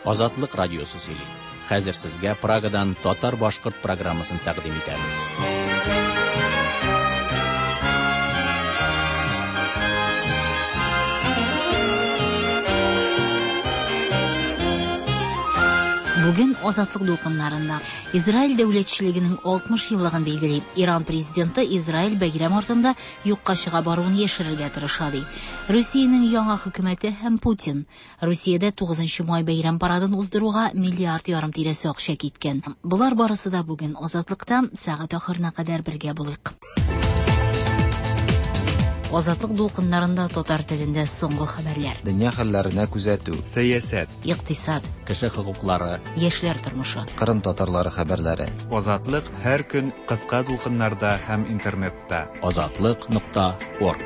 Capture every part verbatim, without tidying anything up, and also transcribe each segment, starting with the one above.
Азатлык радиосы сөйли. Хәзер сезгә Прагадан татар-башкорт программасын тәкъдим итәбез. Бүген Азатлык дулкыннарында Израиль дәүләтчелегенең алтмыш еллыгын билгели. Иран президенты Израиль бәйрәм артында юкка чыга баруын яшерергә тырыша ди. Русиянең яңа хөкүмәте һәм Путин. Русиядә тугызынчы май бәйрәм парадын уздыруга миллиард ярым тирәсе акча киткән. Болар барысы да бүген Азатлыкта сәгать ахырына кадәр бергә булыйк. Азатлык дулкыннарында татар телендә соңгы хәбәрләр. Дөнья хәлләренә күзәтү. Сәясәт. Икътисад. Кеше хокуклары. Яшьләр тормышы. Кырым татарлары хәбәрләре. Азатлык һәр көн кыска дулкыннарда һәм интернетта. Азатлык нокта орг.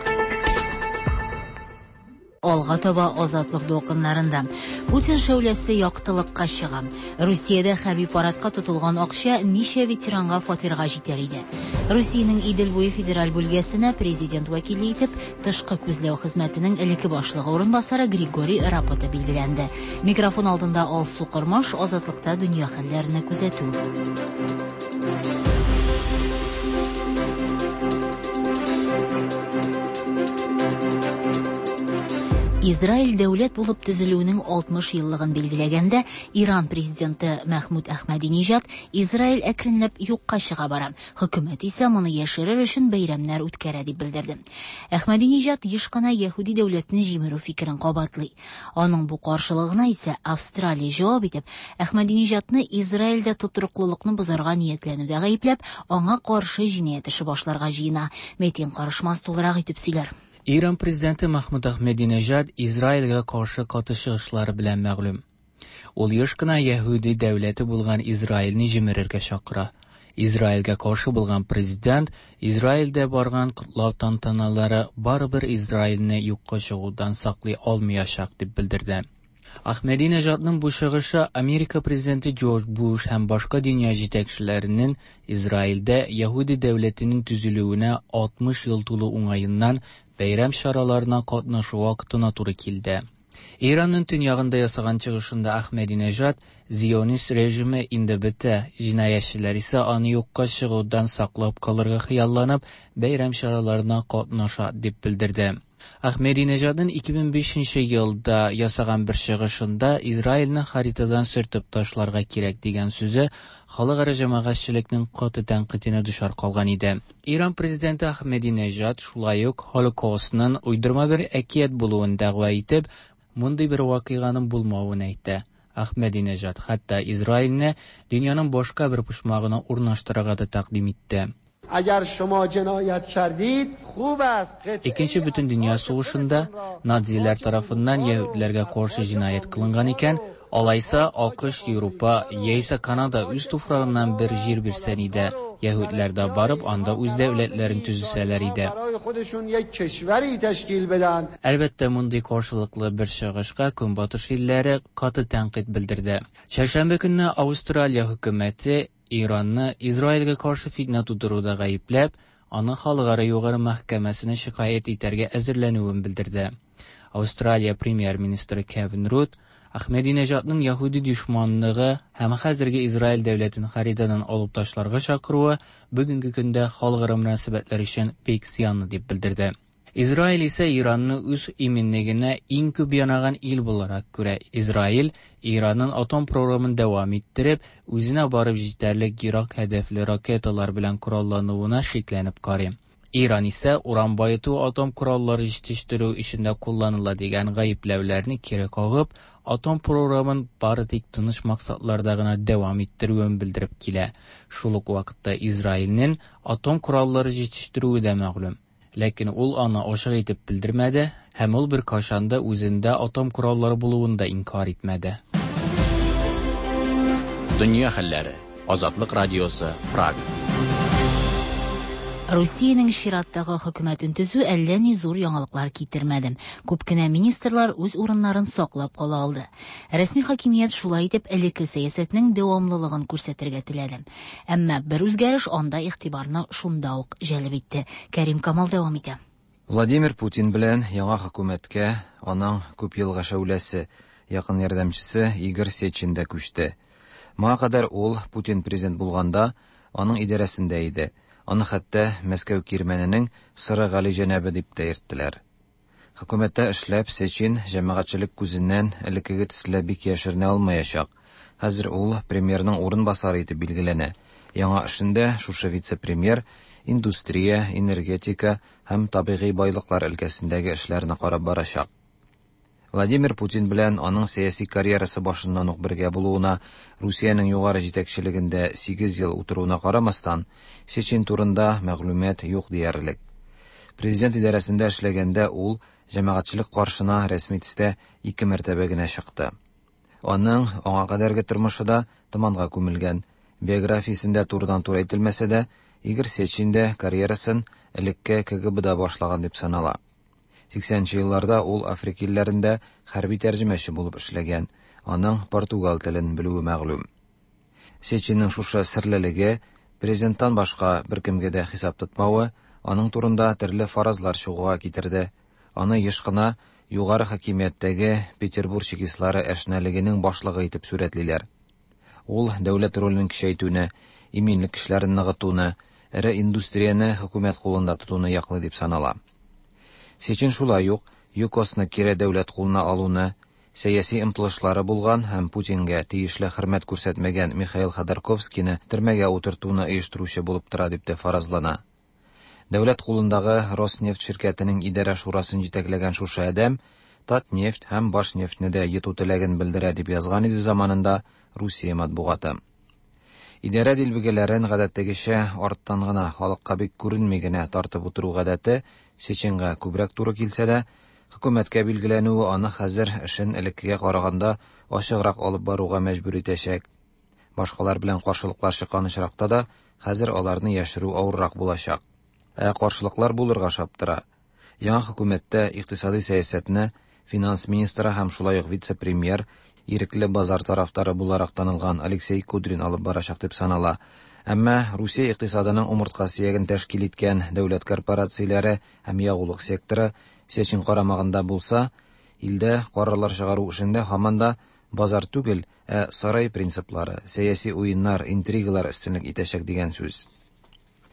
Алга таба Азатлык дулкыннарында. Путин шәүләсе яктылыкка чыга. Русиядә хәрби парадка тотылган акча ничә ветеранга фатирга җитәр иде. Русиянең Идел буе федераль бүлгәсенә президент вәкиле итеп тышкы күзләү хезмәтенең элекке башлыгы урынбасары Григорий Рапота билгеләнде. Микрофон алдында Алсу Кормаш, Азатлыкта дөнья хәлләренә күзәтү. Израиль дәүләт булып төзелүенең алтмыш еллыгын билгеләгәндә, Иран президенты Мәхмүд Әхмәдинежад Израиль әкренләп юкка чыга бара. Хөкүмәт исә моны яшерер өчен бәйрәмнәр үткәрә дип белдерде. Әхмәдинежад еш кына яһүди дәүләтен җимерү фикерен кабатлый. Аның бу каршылыгына исә Австралия җавап итеп, Әхмәдинежадны Израильдә тотрыклылыкны бозарга ниятләнүдә гаепләп, аңа каршы җинаять эше башларга җыена. Метин Карышмас тулырак итеп сөйләр. İran prezidenti Mahmud Ahmadinejad İsrailgə qarşı katı çıxışları bilən məğlum. Ol еш кына Yahudi dövləti bulğan İsrailni jimirərgə çaqıra. İsrailgə qarşı bulğan prezident İsraildə barğan qutlav tantanaları baribir İsrailni yo'qqa шығудан saqlay olmayacaq deb bildirdi. Ahmadinejadның bu çıxışı Amerika prezidenti George Bush həm başqa dünya жетекшілерінің İsraildə Yahudi dövlətinin düzülüyünə altmış yıl tulu uңайından бәйрәм чараларына катнашу вакытына туры килде. İranның төньягында ясаган чыгышында Ahmadinejad зионист режимы инде бетә, җинаятьчеләр исә аны юкка чыгудан саклап калырга хыялланып, бәйрәм чараларына катнаша дип белдерде. Ahmadinejadның ике мең бишенче елда ясаган бер чыгышында Израильне харитадан сөртеп ташларга кирәк дигән сүзе халыкара җәмәгатьчелекнең каты тәнкыйтенә дучар калган иде. Иран президенты Ahmadinejad шулай ук Холокостның уйдырма бер әкият булуын дәгъва итеп, мондый бер вакыйганың булмавын әйтте. Ahmadinejad хәтта Израильне дөньяның башка бер почмагына урнаштырырга да тәкъдим итте. Agar şuma cinayet kerdid, xub ast. Икенче бөтен дөнья сугышында нацилар тарафыннан яһүдләргә каршы җинаять кылынган икән, алайса АКШ, Европа, яисә Канада үз туфрагыннан бер җир бирсә иде, яһүдләр дә барып анда үз дәүләтләрен төзесәләр иде. Әлбәттә, мондый каршылыклы бер чыгышка Көнбатыш илләре каты тәнкыйть белдерде. Чәршәмбе көнне Австралия хөкүмәте İranны Израильгә каршы фитнә тудыруда гаепләп, аны халыкара югары мәхкәмәсенә шикаять итәргә әзерләнүен белдерде. Австралия премьер-министры Кевин Руdd Ahmadinejadның яһүди дошманлыгы һәм хәзерге Израиль дәүләтен харитадан алып ташларга чакыруы бүгенге көндә халыкара мөнәсәбәтләр өчен бик зыянлы дип белдерде. Израиль исә Иранны үз иминлегенә иң күп янаган ил буларак күрә. Израиль Иранның атом програмын дәвам иттереп, үзенә барып җитәрлек ерак һәдәфле ракеталар белән кораллануына шикләнеп карый. Иран исә уран баету атом кораллары җитештерү эшендә кулланыла дигән гаепләүләрне кире кагып, атом програмын бары тик тыныч максатларда гына дәвам иттерүен белдереп килә. Шул ук вакытта Израильнең атом кораллары җитештерүе дә мәгълүм. Ләкин ул аны ачык итеп белдермәде һәм ул бер кашан да үзендә атом кораллары булуын да инкар итмәде. Дөнья хәлләре. Азатлык радиосы, Прага. Русиянең чираттагы хөкүмәтен төзү әллә ни зур яңалыклар китермәде. Күп кенә министрлар үз урыннарын саклап кала алды. Рәсми хакимият шулай итеп элекке сәясәтнең дәвамлылыгын күрсәтергә теләде. Әмма бер үзгәреш анда игътибарны шунда ук җәлеп итте. Кәрим Камал дәвам итә. Владимир Путин белән яңа хөкүмәткә аның күп елга шәүләсе якын ярдәмчесе Игорь Сечин дә күчте. Моңа кадәр ул Путин президент булганда аның идарәсендә иде. Аны хәтта Мәскәү кирмәненең сыры галиҗәнәбе дип тә йөрттеләр. Хөкүмәттә эшләп Сечин җәмәгатьчелек күзеннән элеккеге төсле бик яшеренә алмаячак. Хәзер ул премьерның урынбасары итеп билгеләнә. Яңа эшендә шушы вице-премьер индустрия, энергетика һәм табигый байлыклар өлкәсендәге эшләрне карап барачак. Владимир Путин белән аның сәяси карьерасы башыннан ук бергә булуына, Русиянең югары җитәкчелегендә сигез ел утыруына карамастан, Сечин турында мәгълүмат юк диярлек. Президент идарәсендә эшләгәндә ул җәмәгатьчелек каршына рәсми төстә ике мәртәбә генә чыкты. Аның аңа кадәрге тормышы да томанга күмелгән. Биографиясендә турыдан-туры әйтелмәсә дә, Игорь Сечин дә карьерасын элекке К Г Б-да башлаган дип санала. Сиксәненче елларда ул Африка илләрендә хәрби тәрҗемәче булып эшләгән, аның португал телен белүе мәгълүм. Сечинның шушы серлелеге, президенттан башка беркемгә дә хисап тотмавы, аның турында төрле фаразлар чыгуга китерде. Аны еш кына югары хакимияттәге Петербург чекистлары әшнәлегенең башлыгы итеп сурәтлиләр. Ул дәүләт ролен көчәйтүне, иминлек көчләрен ныгытуны, эре индустрияне хөкүмәт кулында тотуны яклый дип санала. Сечин шулай ук ЮКОСны кире дәүләт кулына алуны, сәяси омтылышлары булган һәм Путингә тиешле хөрмәт күрсәтмәгән Михаил Ходорковскийны төрмәгә утыртуны оештыручы булып тора дип тә фаразлана. Дәүләт кулындагы Роснефть ширкәтенең идарә шурасын җитәкләгән шушы адәм Татнефть һәм Башнефтьне дә йоту теләген белдерә дип язган иде заманында Русия матбугаты. Идарә дилбегәләрен гадәттәгечә арттан гына, халыкка бик күренми генә тартып утыру гадәте Сечинга күбрәк туры килсә дә, хөкүмәткә билгеләнүе аны хәзер эшен элеккегә караганда ачыграк алып баруга мәҗбүр итәчәк. Башкалар белән каршылыклар чыккан очракта да хәзер аларны яшерү авыррак булачак. Ә каршылыклар булырга шаптыра. Яңа хөкүмәттә икътисади сәясәтне финанс министры һәм шулай ук вице-премьер, ирекле базар тарафдары буларак танылган Алексей Кудрин алып барачак дип санала. Әмма Русия икътисадының умыртка сөяген тәшкил иткән дәүләт корпорацияләре һәм ягулык секторы Сечин карамагында булса, илдә карарлар чыгару эшендә һаман да базар түгел, ә сарай принциплары, сәяси уеннар, интригалар өстенлек итәчәк дигән сүз.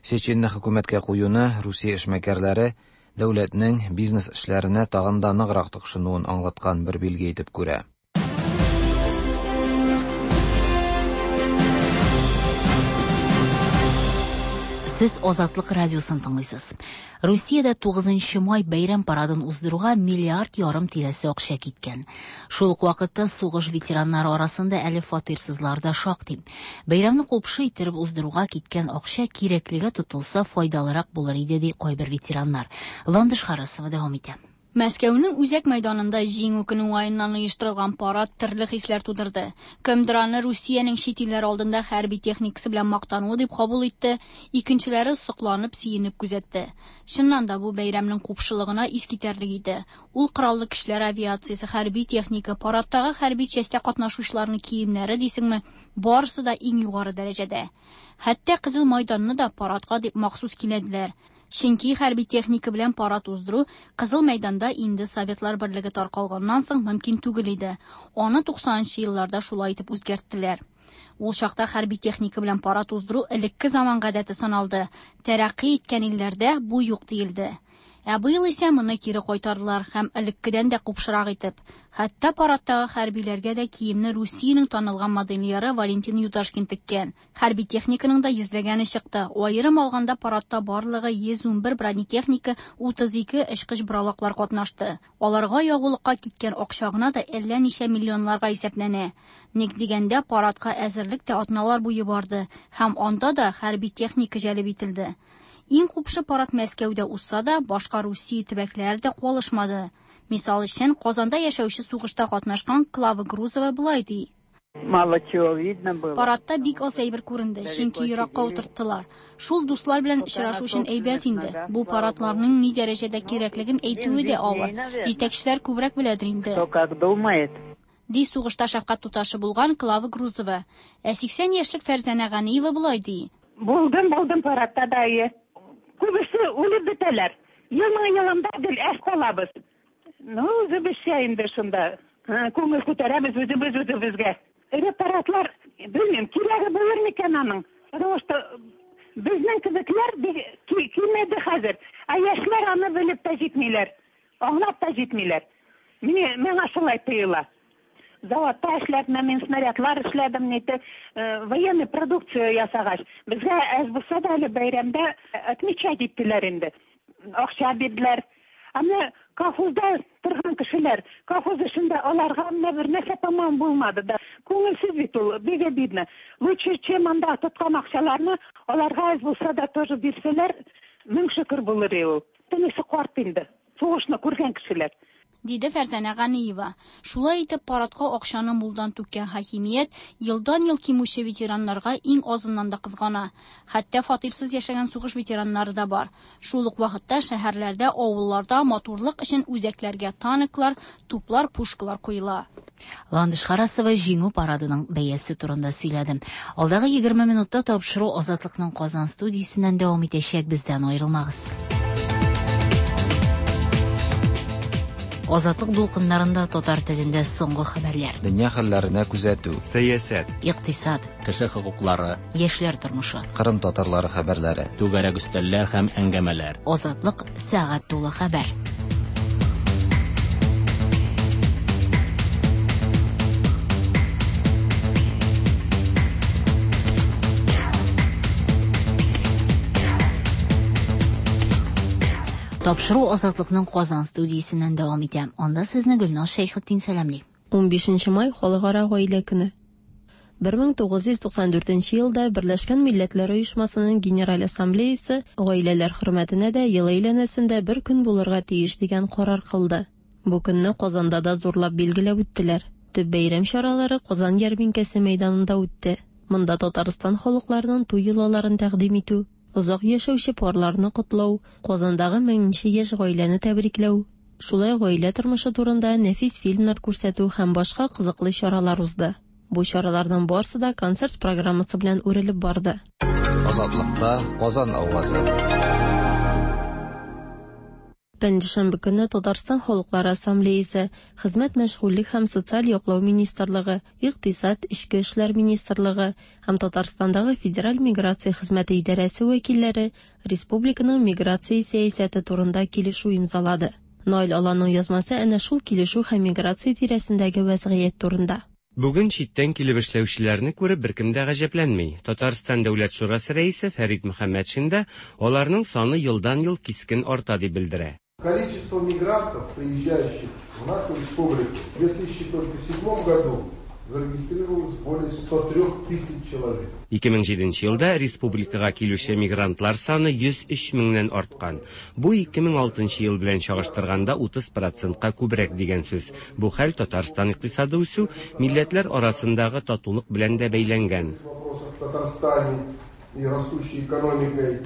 Сечинне хөкүмәткә куюны Русия эшмәкәрләре дәүләтнең бизнес эшләренә тагын да ныграк тыкшынуын аңлаткан бер билге итеп күрә. Сез Азатлык радиосын тыңлыйсыз. Русиядә тугызынчы май бәйрәм парадын уздыруга миллиард ярым тирәсе акча киткән. Шул ук вакытта сугыш ветераннары арасында әле фатирсызлар да шактый. Бәйрәмне купшы иттереп уздыруга киткән акча кирәклегә тотылса файдалырак булыр иде, ди кайбер ветераннар. Ландыш Харасова дәвам итә. Мәскәүнең үзәк мәйданында Җиңү көне уңаеннан оештырылган парад төрле хисләр тудырды. Кемдер аны Русиянең чит илләр алдында хәрби техникасы белән мактануы дип кабул итте, икенчеләре сокланып, сөенеп күзәтте. Чыннан да бу бәйрәмнең купшылыгына ис китәрлек иде. Ул кораллы көчләр авиациясе, хәрби техника, парадтагы хәрби частьтә катнашучыларның киемнәре дисеңме, барысы да иң югары дәрәҗәдә. Хәтта Кызыл майданны да парадка дип махсус киләделәр. Чөнки хәрби техника белән парад уздыру Кызыл мәйданда инде Советлар Берлеге таркалганнан соң мөмкин түгел иде. Аны туксанынчы елларда шулай итеп үзгәрттеләр. Ул чакта хәрби техника белән парад уздыру элекке заман гадәте саналды. Тәрәккый иткән илләрдә бу юк диелде. Ә быел исә моны кире кайтардылар һәм элеккедән дә купшырак итеп. Хәтта парадтагы хәрбиләргә дә киемне Русиянең танылган модельеры Валентин Юдашкин теккән. Хәрби техниканың да йөзләгәне чыкты. Аерым алганда парадта барлыгы йөз унбер бронетехника, утыз ике очкыч боралаклар катнашты. Аларга ягулыкка киткән акча гына да әллә ничә миллионларга исәпләнә. Ник дигәндә парадка әзерлек тә атналар буе барды һәм анда да хәрби техника җәлеп ителде. Иң купшы парад Мәскәүдә узса да, башка Русия төбәкләре дә калышмады. Мисал өчен, Казанда яшәүче сугышта катнашкан Клава Грузова болай ди. Мало чего видно было. Парадта бик аз әйбер күренде, чөнки еракка утырттылар. Шул дуслар белән очрашу өчен әйбәт инде. Бу парадларның ни дәрәҗәдә кирәклеген әйтүе дә авыр. Җитәкчеләр күбрәк беләдер инде. Кто как думает. Ди сугышта шәфкать туташы булган Клава Грузова. Ә сиксән яшьлек Фәрзәнә Ганиева болай ди. Булдым, булдым парадта да. Күбесе үлеп бетәләр. Елның елында гел әш калабыз. Ну, үзебезчә инде шунда. Күңел күтәрәбез үзебез үзебезгә. Эре парадлар, белмим, кирәге булыр микән аның? Потому что безнең кебекләр килмәде хәзер. Ә яшьләр аны белеп тә җитмиләр, аңлап та җитмиләр. Миңа миңа шулай тоела. Заводта эшләдем, мин снарядлар эшләдем, нете военный продукция ясагач. Безгә әз булса да әле бәйрәмдә отмечать иттеләр инде. Акча бирделәр. Ә менә колхозда торган кешеләр, колхоз эшендә аларга менә бер нәрсә тамам булмады да. Күңелсез бит ул, бик обидно. Лучше, чем анда тоткан акчаларны аларга әз булса да тоже бирсәләр, мең шөкер булыр иде ул. Төнесе карт инде. Сугышны күргән кешеләр. Диде Фәрзәнә Ганиева. Шулай итеп парадка акчаны мулдан түккән хакимият елдан-ел кимүче ветераннарга иң азыннан да кызгана. Хәтта фатирсыз яшәгән сугыш ветераннары да бар. Шул ук вакытта шәһәрләрдә, авылларда матурлык өчен үзәкләргә танклар, туплар, пушкалар куела. Ландыш Харасова җиңү парадының бәясе турында сөйләде. Алдагы егерме минутта тапшыру Азатлыкның Казан студиясеннән дәвам итәчәк, бездән аерылмагыз. Азатлык дулкыннарында татар телендә соңгы хәбәрләр. Дөнья хәлләренә күзәтү, сәясәт, икътисад, кеше хокуклары, яшьләр тормышы, Кырым татарлары хәбәрләре, түгәрәк өстәлләр һәм әңгәмәләр. Азатлык сәгать тулы хәбәр. Тапшыру Азатлыкның Казан студиясеннән дәвам итә. Анда сезне Гөлназ Шәйхетдин сәламли. Унбишенче май халыкара гаилә көне. бер мең тугыз йөз туксан дүртенче елда Берләшкән Милләтләр Оешмасының Генераль Ассамблеясы гаиләләр хөрмәтенә дә ел әйләнәсендә бер көн булырга тиеш дигән карар кылды. Бу көнне Казанда да зурлап билгеләп үттеләр. Төп бәйрәм чаралары Казан ярминкәсе мәйданында үтте. Монда Татарстан халыкларының туй йолаларын тәкъдим итү, озак яшәүче парларны котлау, Казандагы меңенче яшь гаиләне тәбрикләү, шулай гаилә тормышы турында нәфис фильмнар күрсәтү һәм башка кызыклы чаралар узды. Бу чараларның барсы да концерт программасы белән үрелеп барды. Азатлыкта Казан авазы. Пәнҗешәмбе көне Татарстан Халыклары Ассамблеясы, Хезмәт мәшгульлек һәм социаль яклау министрлыгы, Икътисад, Эчке эшләр министрлыгы һәм Татарстандагы Федераль миграция хезмәте идарәсе вәкилләре республиканың миграция сәясәте турында килешү имзалады. Наил Аланның язмасы әнә шул килешү һәм миграция тирәсендәге вәзгыять турында. Бүген читтән килеп эшләүчеләрне күреп беркем дә гаҗәпләнми. Татарстан Дәүләт Шурасы рәисе Фәрит Мөхәммәтшин дә аларның саны елдан-ел кискен арта дип белдерә. Количество мигрантов, приезжающих в нашу республику, в две тысячи седьмом году зарегистрировалось более ста трёх тысяч человек. ике мең җиденче елда республикага килүче мигрантлар саны йөз өч меңнән арткан. Бу ике мең алтынчы ел белән чагыштырганда утыз процентка күбрәк дигән сүз. Бу хәл Татарстан икътисады үсү, милләтләр арасындагы татулык белән дә бәйләнгән. В Татарстане и растущей экономикой.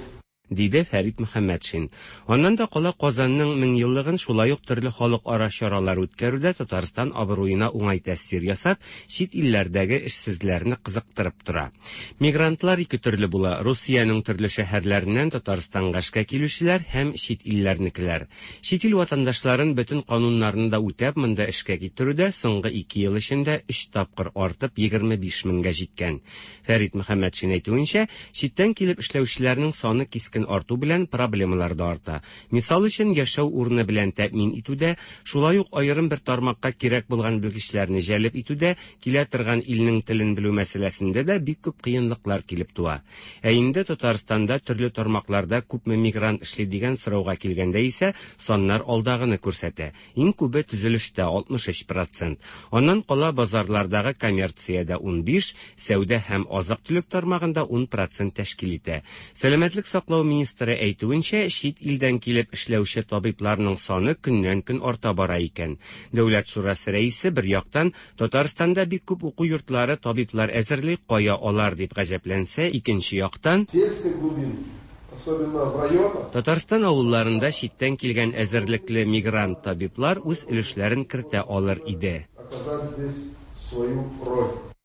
Диде Фәрит Мөхәммәтшин. Аннан да кала Казанның меңьеллыгын шулай ук төрле халыкара чаралар үткәрүдә Татарстан абруена уңай тәэсир ясап, чит илләрдәге эшсезләрне кызыктырып тора. Мигрантлар ике төрле була: Русиянең төрле шәһәрләреннән Татарстанга эшкә килүчеләр һәм чит илләрнекеләр. Чит ил ватандашларын бөтен кануннарны да үтәп монда эшкә китерүдә соңгы ике ел эчендә өч тапкыр артып егерме биш меңгә җиткән. Фәрит Мөхәммәтшин әйтүенчә, читтән килеп эшләүчеләрнең саны кискен арту белән проблемалар да арта. Мисал өчен, яшәү урыны белән тәэмин итүдә, шулай ук аерым бер тармакка кирәк булган белгечләрне җәлеп итүдә, килә торган илнең телен белү мәсьәләсендә дә бик күп кыенлыклар килеп туа. Ә инде Татарстанда төрле тармакларда күпме мигрант эшли дигән сорауга килгәндә исә саннар алдагыны күрсәтә. Иң күбе төзелештә алтмыш өч процент. Аннан кала базарлардагы коммерциядә ун биш, сәүдә һәм азык-төлек тармагында ун процент тәшкил итә. Сәламәтлек саклау министры әйтүенчә, чит илдән килеп эшләүче табибларның саны көннән-көн арта бара икән. Дәүләт шурасы рәисе бер яктан Татарстанда бик күп уку йортлары табиблар әзерли, кая алар дип гаҗәпләнсә, икенче яктан Татарстан авылларында читтән килгән әзерлекле мигрант табиблар үз өлешләрен кертә алыр иде.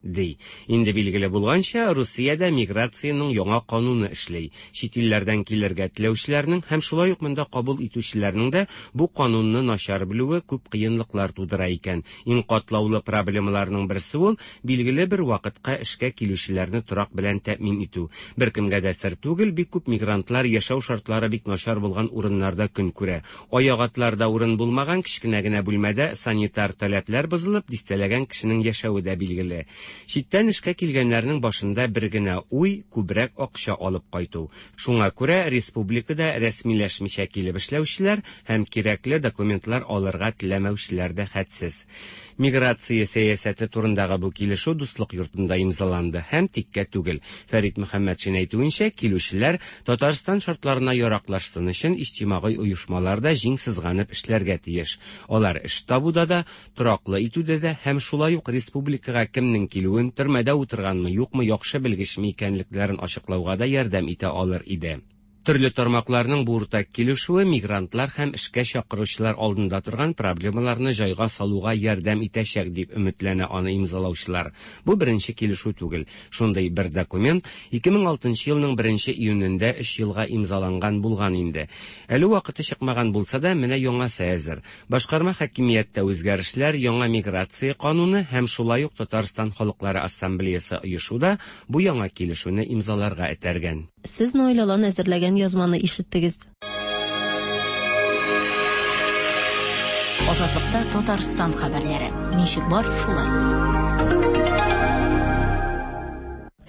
ди. Инде билгеле булганча, Русиядә миграциянең яңа кануны эшли. Чит илләрдән килергә теләүчеләрнең һәм шулай ук монда кабул итүчеләрнең дә бу канунны начар белүе күп кыенлыклар тудыра икән. Иң катлаулы проблемаларның берсе ул билгеле бер вакытка эшкә килүчеләрне торак белән тәэмин итү. Беркемгә дә сер түгел, бик күп мигрантлар яшәү шартлары бик начар булган урыннарда көн күрә. Аяк атларда урын булмаган кечкенә генә бүлмәдә санитар таләпләр бозылып, дистәләгән кешенең яшәве дә билгеле. Читтән эшкә килгәннәрнең башында бер генә уй күбрәк акча алып кайту. Шуңа күрә республикада рәсмиләшмичә килеп эшләүчеләр һәм кирәкле документлар алырга теләмәүчеләр дә хәтсез. Миграция сәясәте турындагы бу килешү Дуслык йортында имзаланды һәм тиккә түгел. Фәрит Мөхәммәтшин әйтүенчә, килүчеләр Татарстан шартларына яраклашсын өчен иҗтимагый оешмаларда җиң сызганып эшләргә тиеш. Алар эш табуда да, тораклы итүдә дә һәм шулай ук республикага кемнең килүен, төрмәдә утырганмы, юкмы, яхшы белгечме икәнлекләрен ачыклауга да ярдәм итә алыр иде. Төрле тармакларның бу уртак килешүе мигрантлар һәм эшкә чакыручылар алдында торган проблемаларны җайга салуга ярдәм итәчәк дип өметләнә аны имзалаучылар. Бу беренче килешү түгел. Шундый бер документ ике мең алтынчы елның беренче июнендә өч елга имзаланган булган инде. Әле вакыты чыкмаган булса да, менә яңасы әзер. Башкарма хакимияттә үзгәрешләр, яңа миграция кануны һәм шулай ук Татарстан халыклары ассамблеясы оешу да бу яңа килешүне имзаларга этәргән. Сез Наил Алан әзерләгән язманы ишеттегез. Азатлыкта Татарстан хәбәрләре. Ничек бар, шулай.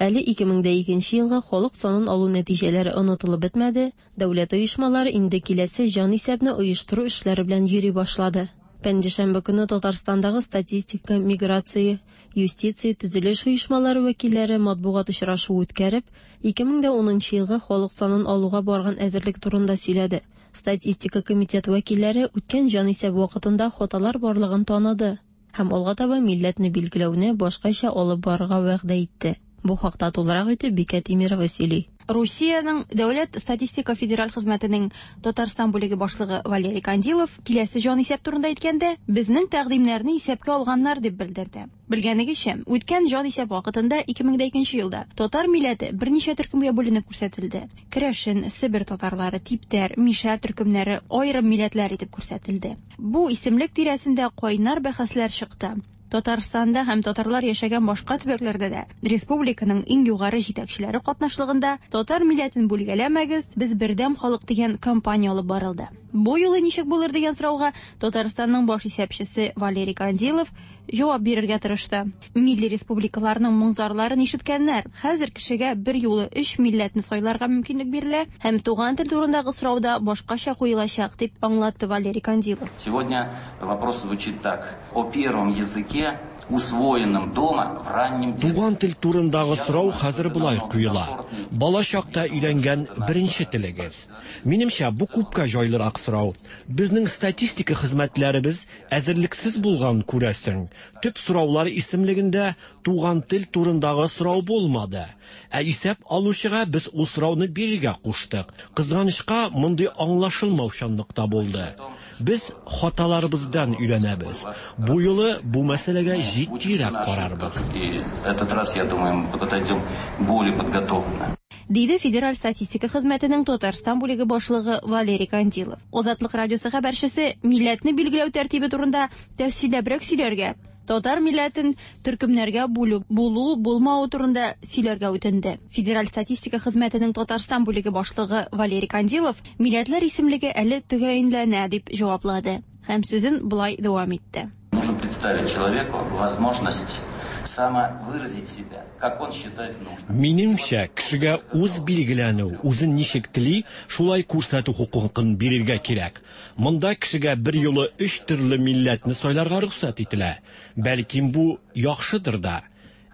Әле ике мең дә икенче елгы халык санын алу нәтиҗәләре онытылып бетмәде. Дәүләт оешмалары инде киләсе җанисәпне оештыру эшләре белән йөри башлады. Пәнҗешәмбе көне Татарстандагы статистика, миграция, юстиция, төзелеш оешмалары вәкилләре матбугат очрашуы үткәреп, ике мең дә унынчы елгы халык санын алуга барган әзерлек турында сөйләде. Статистика комитет вәкилләре үткән җанисәп вакытында хаталар барлыгын таныды һәм алга таба милләтне билгеләүне башкача алып барырга вәгъдә итте. Бу хакта тулырак итеп Бикә Тимирова сөйли. Русиянең Дәүләт статистика федераль хезмәтенең Татарстан бүлеге башлыгы Валерий Кандилов киләсе җанисәп турында әйткәндә, безнең тәкъдимнәрне исәпкә алганнар дип белдерде. Белгәнегезчә, үткән җанисәп вакытында ике мең дә икенче елда татар милләте берничә төркемгә бүленеп күрсәтелде. Керәшен, Себер татарлары, типтәр, мишәр төркемнәре аерым милләтләр итеп күрсәтелде. Бу исемлек тирәсендә кайнар бәхәсләр чыкты. Татарстанда һәм татарлар яшәгән башка төбәкләрдә дә республиканың иң югары җитәкчеләре катнашлыгында татар милләтен бүлгәләмәгез, без бердәм халык дигән кампания алып барылды. Бу юлы ничек булыр дигән сорауга Татарстанның баш исәпчесе Валерий Кандилов җавап бирергә тырышты. Милли республикаларның моң-зарларын ишеткәннәр. Хәзер кешегә бер юлы өч милләтне сайларга мөмкинлек бирелә һәм туган тел турындагы сорау да башкача куелачак дип аңлатты Валерий Кандилов. Сегодня вопрос звучит так: о первом языке, усвоенном дома в раннем детстве. Туган тел турындагы сорау хәзер болай куела. Бала чакта өйрәнгән беренче телегез. Минемчә, бу күпкә җайлырак сорау. Безнең статистика хезмәтләребез әзерлексез булган күрәсең. Төп сораулар исемлегендә туган тел турындагы сорау булмады. Ә исәп алучыга без ул сорауны бирергә куштык. Кызганычка, мондый аңлашылмаучанлык та булды. Без хаталарыбыздан өйрәнәбез. Бу юлы бу мәсьәләгә җитдирәк карарбыз. И этот раз, я думаю, мы подойдем более подготовленно. Диде Федераль статистика хезмәтенең Татарстан бүлеге башлыгы Валерий Кандилов. Азатлык радиосы хәбәрчесе милләтне билгеләү тәртибе турында тәфсилләбрәк сөйләргә, татар милләтен төркемнәргә бүлү булу булмавы турында сөйләргә үтенде. Федераль статистика хезмәтенең Татарстан бүлеге башлыгы Валерий Кандилов милләтләр исемлеге әле төгәлләнә дип җаваплады һәм сүзен болай дәвам итте. Нужно представить человеку возможность самовыразить себя, как он считает нужным. Минемчә, кешегә үз билгеләнү, үзен ничек тели, шулай күрсәтү хокукын бирергә кирәк. Монда кешегә бер юлы өч төрле милләтне сайларга рөхсәт ителә. Бәлки бу яхшыдыр да.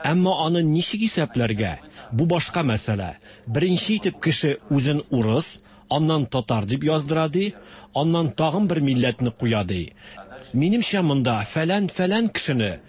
Әмма аны ничек исәпләргә? Бу башка мәсьәлә. Беренче итеп кеше үзен урыс, аннан татар дип яздыра ди, аннан тагын бер милләтне куя ди. Минемчә, монда фәлән-фәлән кешене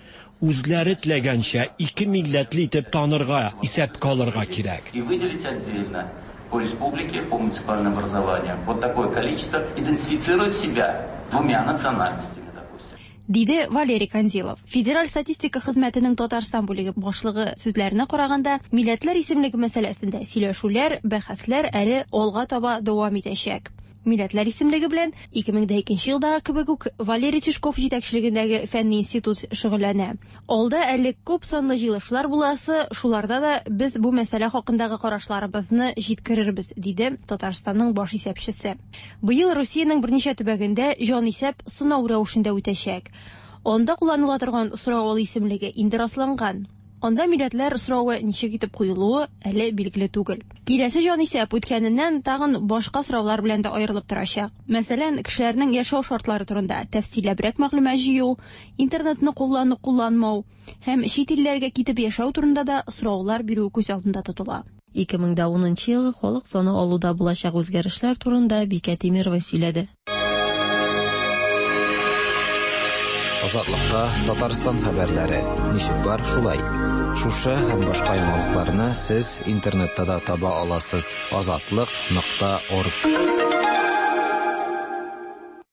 үзләре теләгәнчә ике милләтле итеп танырга, исәпкә алырга кирәк. И выделить отдельно по республике, по муниципальному образованию. Вот такое количество идентифицирует себя двумя национальностями, допустим. диде Валерий Кандилов. Федераль статистика хезмәтенең Татарстан бүлеге башлыгы сүзләренә караганда, милләтләр исемлеге мәсьәләсендә сөйләшүләр, бәхәсләр әле алга таба дәвам итәчәк. Милләтләр исемлеге белән ике мең дә икенче елдагы кебек үк Валерий Тишков җитәкчелегендәге фәнни институт шөгыльләнә. Алда әле күп санлы җыелышлар буласы, шуларда да без бу мәсьәлә хакындагы карашларыбызны җиткерербез, диде Татарстанның баш исәпчесе. Быел Русиянең берничә төбәгендә җанисәп сынау рәвешендә үтәчәк. Анда кулланыла торган сорау исемлеге инде расланган. Анда милләтләр соравы ничек итеп куелуы әле билгеле түгел. Киләсе җанисәп үткәненнән тагын башка сораулар белән дә аерылып торачак. Мәсәлән, кешеләрнең яшәү шартлары турында тәфсилләбрәк мәгълүмат җыю, интернетны куллану, кулланмау һәм чит илләргә китеп яшәү турында да сораулар бирү күз алдында тотыла. ике мең дә унынчы елгы халык саны алуда булачак үзгәрешләр турында Бикә Тимирова сөйләде. Азатлыкта Татарстан хәбәрләре ничек бар шулай. Шушы һәм башка яңалыкларны сез интернетта да таба аласыз. азатлык нокта орг.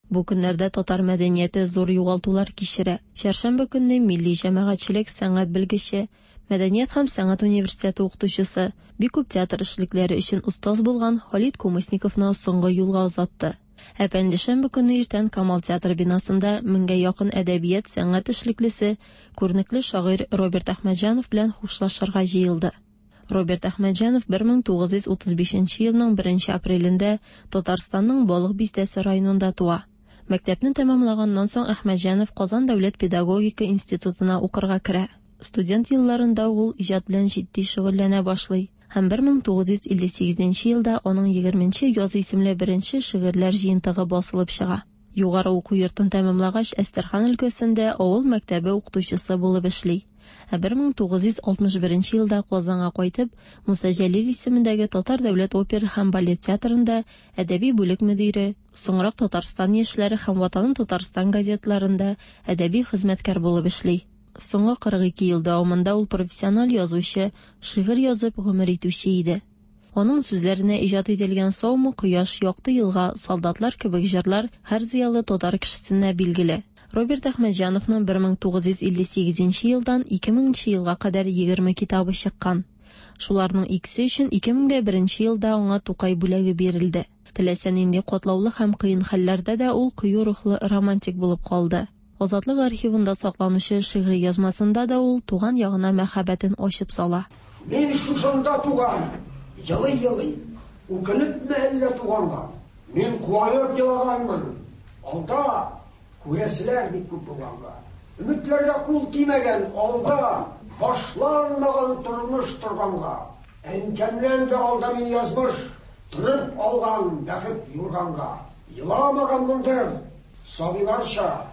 Бу көннәрдә татар мәдәнияте зур югалтулар кичерә. Чәршәмбе көнне милли җәмәгатьчелек сәнгать белгече, Мәдәният һәм сәнгать университеты укытучысы, бик күп театр эшлекләре өчен остаз булган Халит Кумысниковны соңгы юлга озатты. Ә пәнҗешәмбе көнне иртән Камал театры бинасында меңгә якын әдәбият сәнгать эшлеклесе, күренекле шагыйрь Роберт Әхмәтҗанов белән хушлашырга җыелды. Роберт Әхмәтҗанов бер мең тугыз йөз утыз бишенче елның беренче апрелендә Татарстанның Балык бистәсе районында туа. Мәктәпне тәмамлаганнан соң Әхмәтҗанов Казан дәүләт педагогика институтына укырга керә. Студент елларында ул иҗат белән җитди шөгыльләнә башлый. Һәм бер мең тугыз йөз илле сигезенче елда аның егерменче яз исемле беренче шигырьләр җыентыгы басылып чыга. Югары уку йортын тәмамлагач, Әстерхан өлкәсендә авыл мәктәбе укытучысы булып эшли. Ә бер мең тугыз йөз алтмыш беренче елда Казанга кайтып, Муса Җәлил исемендәге Татар дәүләт опера һәм балет театрында әдәби бүлек мөдире, соңрак Татарстан яшьләре һәм Ватаным Татарстан газетларында әдәби хезмәткәр булып эшли. Соңгы кырык ике ел дәвамында ул профессиональ язучы, шигырь язып гомер итүче иде. Аның сүзләренә иҗат ителгән «Саумы кояш», «Якты елга», «Солдатлар» кебек җырлар һәр зыялы татар кешесенә билгеле. Роберт Әхмәтҗановның бер мең тугыз йөз илле сигезенче елдан ике меңенче елга кадәр егерме китабы чыккан. Шуларның икесе өчен ике мең дә беренче елда аңа Тукай бүләге бирелде. Теләсә нинди катлаулы һәм кыен хәлләрдә дә ул кыю рухлы романтик булып калды. Азатлык архивында сакланучы шигъри язмасында да ул туган ягына мәхәббәтен ачып сала. Мин шушында туган, елый-елый, үкенепме әллә туганга? Мин куанып елаганмын. Алда күрәселәр бик күп булганга. Өметләргә кул тимәгән, алда башланмаган тормыш торганга. Әнкәмнән дә алда мин язмыш, торып алган бәхет юрганга. Еламаганмындыр, сабыйларча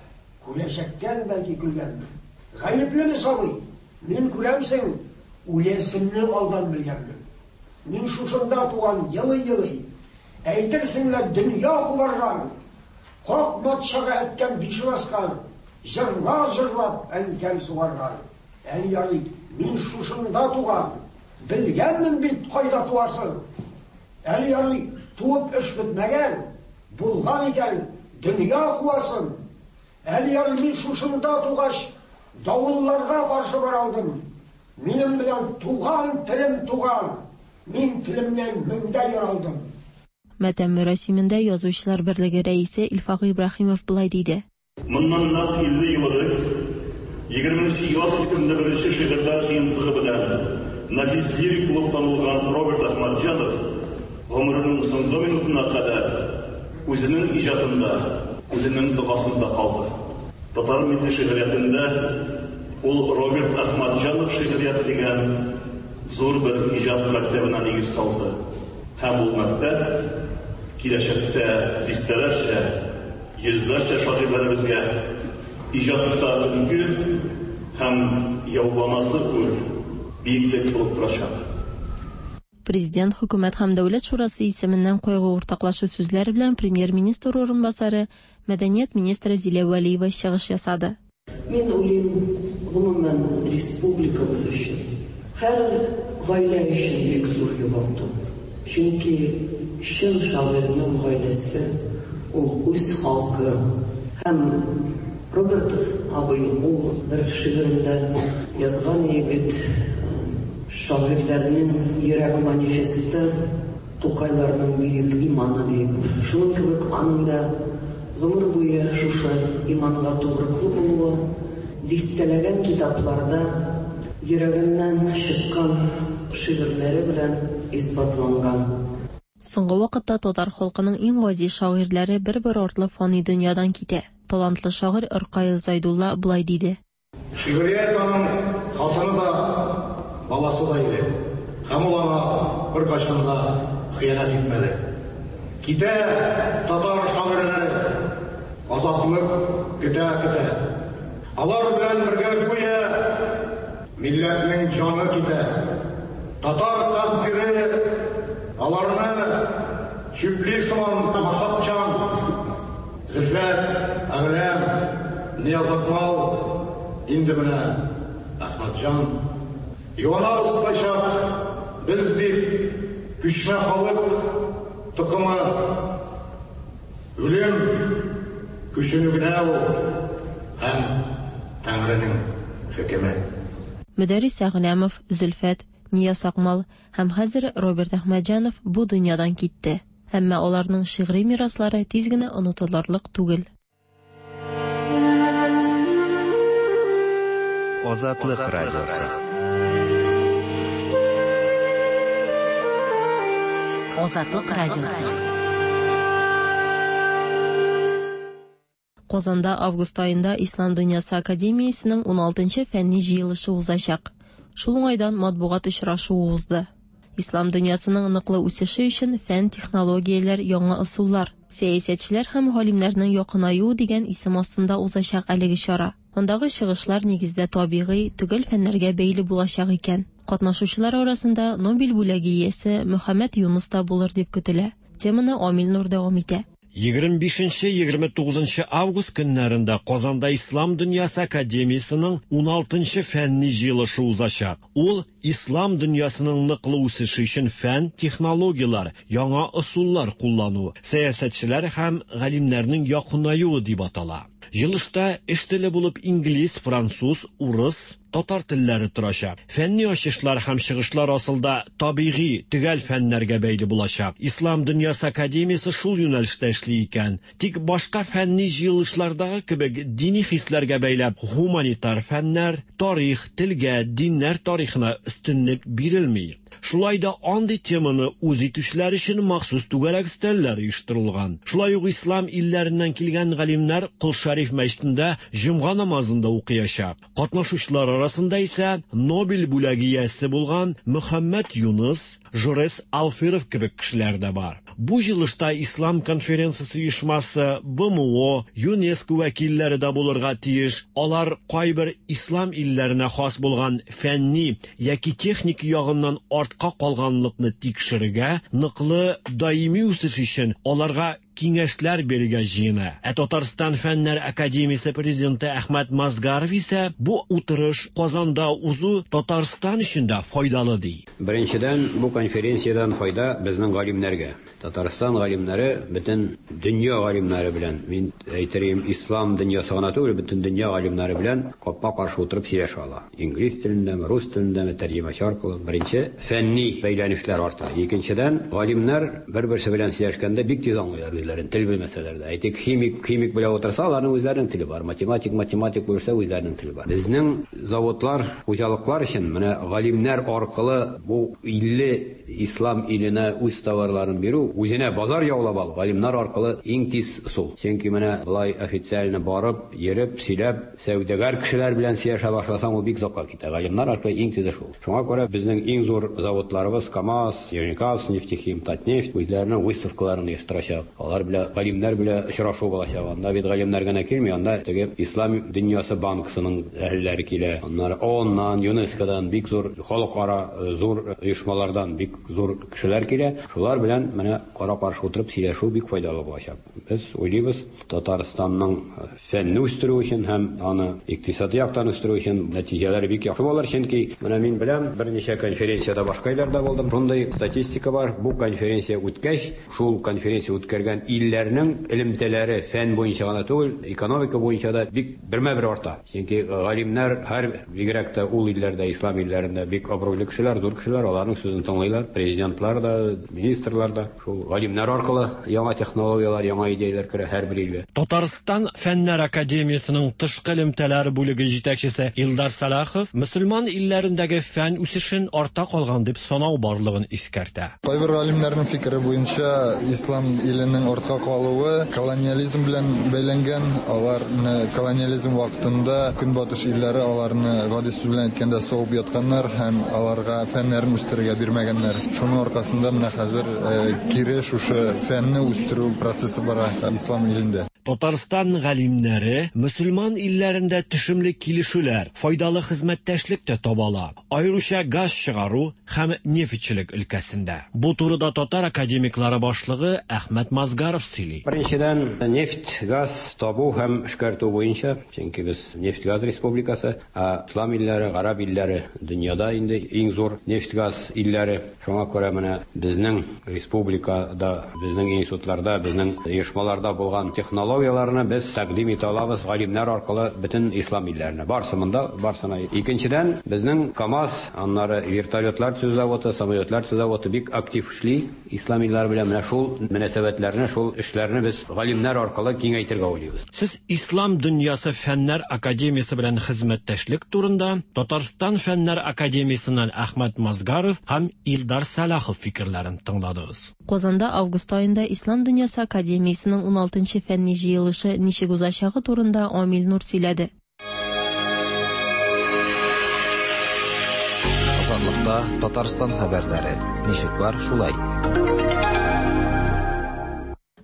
күрәчәктән бәлки көлгәнмен. Гаеплеме сабый? Мин күрәмсең, үләсемне алдан белгәнмен. Мин шушында туган елый-елый, әйтерсең лә дөнья кубарган, как матшага әткәм бише баскан, җырлар җырлап әнкәм сугарган. Әле ярый, мин шушында туган, белгәнмен бит кайда туасын. Әле ярый, туып эш бетмәгән, булган икән дөнья куасын. Әле ярый, мин шушында тугач, давылларга каршы бара алдым. Минем белән туган телем туган, мин телемнән меңдә яралдым. Матәм мөрәсимендә Язучылар берлеге рәисе Илфак Ибраһимов былай диде. Моннан нәкъ илле ел элек егерменче яз исемле беренче шигырьләр җыентыгы белән нәфис лирик булып танылган Роберт Әхмәтҗанов гомеренең соңгы минутына кадәр үзенең иҗатында, үзенең догасында калды. Татар милли шигъриятендә ул Роберт Әхмәтҗанов шигърияте дигән зур бер иҗат мәктәбенә нигез салды. Һәм ул мәктәп киләчәктә дистәләрчә, йөзләрчә шагыйрьләребезгә иҗатта өлге һәм яуланасы үр биеклек булып торачак. Президент, хөкүмәт һәм дәүләт шурасы исеменнән кайгы уртаклашу сүзләре белән премьер-министр урынбасары, мәдәният министры Зилә Вәлиева чыгыш ясады. Мин уйлыйм, гомумән республикабыз өчен, һәр гаилә өчен бик зур югалту. Чөнки чын шагыйрьнең гаиләсе ул үз халкы һәм Роберт абый ул бер шигырендә язган иде бит, шагыйрьләрнең йөрәк манифесты, Тукайларның бөек иманы дип. Шуның кебек аның да гомер буе шушы иманга тугрыклы булуы, дистәләгән китапларда йөрәгеннән чыккан шигырьләре белән исбатланган. Соңгы вакытта татар халкының иң газиз шагыйрьләре бер-бер артлы фани дөньядан китә. Талантлы шагыйрь Ркаил Зайдулла болай диде. Шигърият аның хатыны да, баласы да иде. Һәм ул аңа беркайчан да хыянәт итмәде. Китә татар шагыйрьләре, азатлык көтә-көтә. Алар белән бергә гүя милләтнең җаны китә. Татар тәкъдире аларны чүпли сыман максатчан. Зөлфәт, Әгъләм, Нияз Акмал, инде менә Әхмәтҗан. Юанабыз кайчак без дип күчмә халык токымы. Үлем күченү генә ул һәм Тәңренең хөкеме. Мөдәррис Әгъләмов, Зөлфәт, Нияз Акмал һәм хәзер Роберт Әхмәтҗанов бу дөньядан китте. Әмма аларның шигъри мираслары тиз генә онытылырлык түгел. Азатлык радиосы. Азатлык радиосы. Казанда август аенда Ислам дөньясы академиясенең уналтынчы фәнни җыелышы узачак. Шул уңайдан матбугат очрашуы узды. Ислам дөньясының ныклы үсеше өчен фән, технологияләр, яңа ысуллар, сәясәтчеләр һәм галимнәрнең якынаюы дигән исем астында узачак әлеге чара. Андагы чыгышлар нигездә табигый, төгәл фәннәргә бәйле булачак икән. Катнашучылар арасында Нобель бүләге иясе Мөхәммәд Юныс та булыр дип көтелә. Теманы Амил Нур дәвам итә. Егерме бишенче егерме тугызынчы август көннәрендә Казанда Ислам дөньясы академиясенең уналтынчы фәнни җыелышы узачак. Ул Ислам дөньясының ныклы үсеше өчен фән, технологияләр, яңа ысуллар куллану, сәясәтчеләр һәм галимнәрнең якынаюы дип атала. Җыелышта эш теле булып инглиз, француз, урыс, татар телләре торачак. Фәнни ачышлар һәм чыгышлар асылда табигый, төгәл фәннәргә бәйле булачак. Ислам дөньясы академиясе шул юнәлештә эшли икән. Тик башка фәнни җыелышлардагы кебек дини хисләргә бәйләп гуманитар фәннәр, тарих, телгә, диннәр тарихына өстенлек бирелми. Шулай да андый теманы үз итүчеләр өчен махсус түгәрәк өстәлләр оештырылган. Шулай ук ислам илләреннән килгән галимнәр Кол Шәриф мәчетендә җомга намазында укыячак. Катнашучылар арасында исә Нобель бүләге иясе булган Мөхәммәд Юныс, Жорес Алферов кебек кешеләр дә бар. Бу җыелышта Ислам конференциясе оешмасы, Б М О, ЮНЕСКО вәкилләре дә булырга тиеш. Алар кайбер ислам илләренә хас булган фәнни яки техник ягыннан артка калганлыкны тикшерергә, ныклы даими үсеш өчен аларга киңәшләр бирергә җыена. Ә Татарстан Фәннәр академиясе президенты Әхмәт Мазгаров исә бу утырыш Казанда узу Татарстан өчен дә файдалы ди. Беренчедән, бу конференциядән файда безнең галимнәргә. Татарстан галимнәре бөтен дөнья галимнәре белән, мин әйтерим, ислам дөньясы гына түгел, бөтен дөнья галимнәре белән капма-каршы утырып сөйләшә ала. Инглиз телендәме, рус телендәме, тәрҗемәче аркылы. Беренче, фәнни бәйләнешләр арта. Икенчедән, галимнәр бер-берсе белән сөйләшкәндә бик тиз аңлыйлар үзләрен, тел белмәсәләр дә. Әйтик, химик, химик белән утырса, аларның үзләренең теле бар. Математик, математик булса, үзләренең теле бар. Безнең заводлар, хуҗалыклар өчен менә галимнәр аркылы бу илле ислам иленә үз товарларын бирү, үзенә базар яулап алу, галимнәр аркылы иң тиз ысул. Чөнки менә болай официально барып, йөреп, сөйләп, сәүдәгәр кешеләр белән сөйләшә башласаң, ул бик озакка китә. Галимнәр аркылы иң тизе шул. Шуңа күрә безнең иң зур заводларыбыз КАМАЗ, Нижнекамск, Нефтехим, Татнефть үзләренең выставкаларын оештырачак. Алар белән галимнәр белән очрашу булачак. Анда бит галимнәр генә килми, анда теге Ислам дөньясы банкысының әһелләре килә. Аннары ООНнан, ЮНЕСКОдан бик зур халыкара зур оешмалардан бик зур кешеләр килә. Шулар белән менә кара-каршы утырып сөйләшү бик файдалы булачак. Без уйлыйбыз, Татарстанның фәнне үстерү өчен һәм аны икътисади яктан үстерү өчен нәтиҗәләре бик яхшы булыр, чөнки менә мин беләм, берничә конференциядә башка илләрдә булдым. Шундый статистика бар. Бу конференция үткәч, шул конференция үткәргән илләрнең элемтәләре фән буенча гына түгел, экономика буенча да бик бермә-бер арта. Чөнки галимнәр һәр бигрәк тә ул илләрдә, ислам илләрендә бик абруйлы кешеләр, зур кешеләр, аларның сүзен тыңлыйлар. Президентлар да, министрлар да шул галимнәр аркылы яңа технологияләр, яңа идеяләр керә һәрбер илгә. Татарстан Фәннәр академиясенең тышкы элемтәләр бүлеге җитәкчесе Илдар Салахов мөселман илләрендәге фән үсешен арта калган дип санау барлыгын искәртә. Кайбер галимнәрнең фикере буенча ислам иленең артка калуы колониализм белән бәйләнгән. Алар менә колониализм вакытында Көнбатыш илләре аларны гади сүз белән әйткәндә савып ятканнар һәм аларга фәннәрен үстерергә бирмәгәннәр. Шуның аркасында менә хәзер кире шушы фәнне үстерү процессы бара ислам илендә. Татарстан галимнәре мөселман илләрендә төшемле килешүләр, файдалы хезмәттәшлек тә табала. Аеруча газ чыгару һәм нефтьчелек өлкәсендә. Бу турыда татар академиклары башлыгы Әхмәт Мазгаров сөйли. Беренчедән, нефть, газ табу һәм эшкәртү буенча, чөнки без нефть-газ республикасы, ә ислам илләре, гарәп илләре дөньяда инде иң зур нефть-газ илләре. Шуңа күрә менә безнең республикада, безнең институтларда, безнең оешмаларда булган технологияләрне без тәкъдим итә алабыз галимнәр аркылы бөтен ислам илләренә. Барсы монда, барсына. Икенчедән, безнең КАМАЗ, аннары вертолетлар төзү заводы, самолетлар төзү заводы бик актив эшли ислам илләре белән. Менә шул мөнәсәбәтләрне, шул эшләрне без галимнәр аркылы киңәйтергә уйлыйбыз. Сез Ислам дөньясы фәннәр академиясе белән хезмәттәшлек турында Татарстан Фәннәр академиясеннән Әхмәт Мазгаров һәм Илдар Салахов фикерләрен тыңладыгыз. Казанда август аенда Ислам дөньясы академиясенең уналтынчы фәнни җыелышы ничек узачагы турында Амил Нур сөйләде. Азатлыкта Татарстан хәбәрләре ничек бар шулай.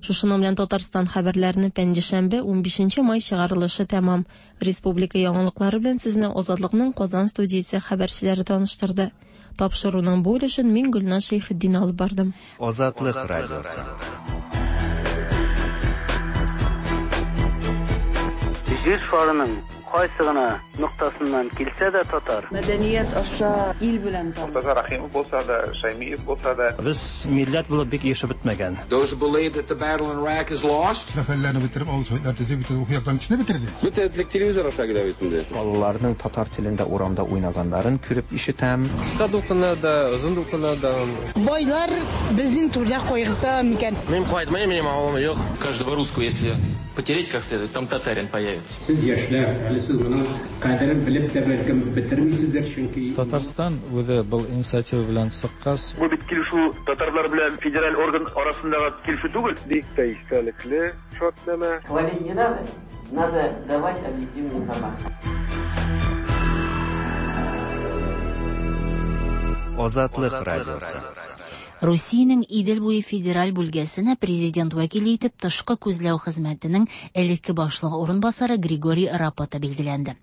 Шушының белән Татарстан хәбәрләренең пәнҗешәмбе унбишенче май чыгарылышы тәмам. Республика яңалыклары белән сезне Азатлыкның Казан студиясе хәбәрчеләре таныштырды. Тапшыруның бу өлешен мин Гөлназ Шәйхетдин алып бардым. Азатлык радиосы. Җир шарының кайсы гына ноктасыннан килсә дә татар. Мәдәният аша ил белән танып. Муртаза Рахимов булса да, Шаймиев булса да. Без милләт булып бик яшәп бетмәгән. Those who believe that the battle in Iraq is lost. Сәфәрләрне бетереп, авыл советлар төзеп, бөтен рухи яктан кешене бетерде. Бөтен телевизор аша килә бит инде. Балаларның татар телендә урамда уйнаганнарын күреп ишетәм. Кыска дулкыннарда, озын дулкыннарда. Байлар безнең түрдә кайгырта микән? Мин кайтмыйм, минем авылым юк. Каждого русского, если потереть как следует, там татарин появится. Сез яшьләр, әле сез моның кадерен белеп тә бәлкем бетермисездер, чөнки Татарстан үзе был инициатива белән чыккач. Бу бит килешү татарлар белән федераль орган арасындагы килешү түгел. Бик тә истәлекле шартнамә. Хвалить не надо, надо давать объективную информацию. Азатлык радиосы. Русиянең Идел буе федераль бүлгәсенә президент вәкиле итеп тышкы күзләү хезмәтенең элекке башлыгы урынбасары Григорий Рапота билгеләнде.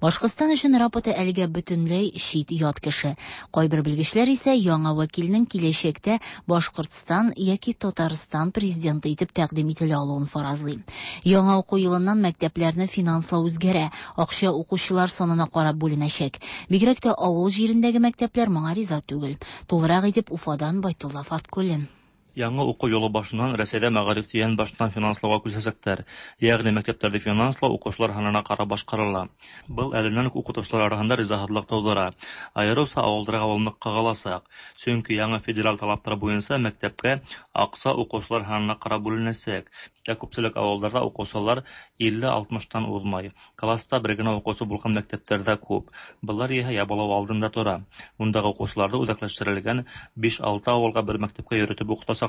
Башкортстан өчен Рапота әлегә бөтенләй чит ят кеше. Кайбер белгечләр исә яңа вәкилнең киләчәктә Башкортстан яки Татарстан президенты итеп тәкъдим ителә алуын фаразлый. Яңа уку елыннан мәктәпләрне финанслау үзгәрә, акча укучылар санына карап бүленәчәк. Бигрәк тә авыл җирендәге мәктәпләр моңа риза түгел. Тулырак итеп Уфадан Байтулла Фаткуллин. Яңа уку юлы башыннан Рәсәйдә мәгариф дигән башыннан финанслауга күчәчәкләр. Ягъни мәктәпләрдә финанслау укучылар һанына карап башкарыла. Был әленнән үк укытучылар арасында ризаһатлык тудыра. Аеруча авылдагы авылны кагыласак. Чөнки яңа федераль талаплар буенча мәктәпкә акча укучылар һанына карап бүленәчәк. Ә күпчелек авылларда укучылар илле-алтмыштан узмай. Класста бер генә укучы булган мәктәпләрдә күп. Булар иһә ябылу алдында тора. Ундагы укучыларны үзәкләштерелгән биш-алты авылга бер мәктәпкә йөрөтеп укытачак.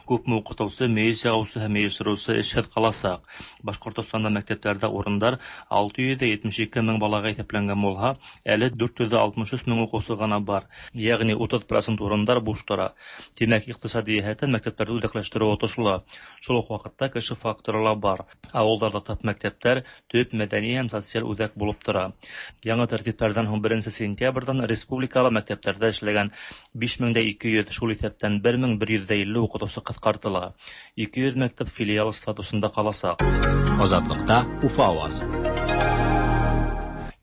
Күпме укытучы, мейес ягучы һәм йыштыручы эшһез каласак. Башкортостанда мәктәпләрдә урындар алты йөз җитмеш ике мең балага исәпләнгән булһа, әле дүрт йөз алтмыш өч мең укучы гына бар. Ягъни утыз процент урындар буш тора. Димәк, икътисади җәһәттән мәктәпләрне үзәкләштерү отышлы. Шул ук вакытта кеше факторы ла бар. Авылларда төп мәктәпләр төп мәдәни һәм социаль үзәк булып тора. Яңа тәртипләрдән һәм беренче сентябрьдән республикалы мәктәпләрдә эшләгән биш мең дә ике йөз, шул исәптән бер мең бер йөз дә илле укытучы ҡыҫҡартыла. Ике йөҙ мәктәп филиал статусында ҡаласаҡ. Азатлыкта Уфа авазы.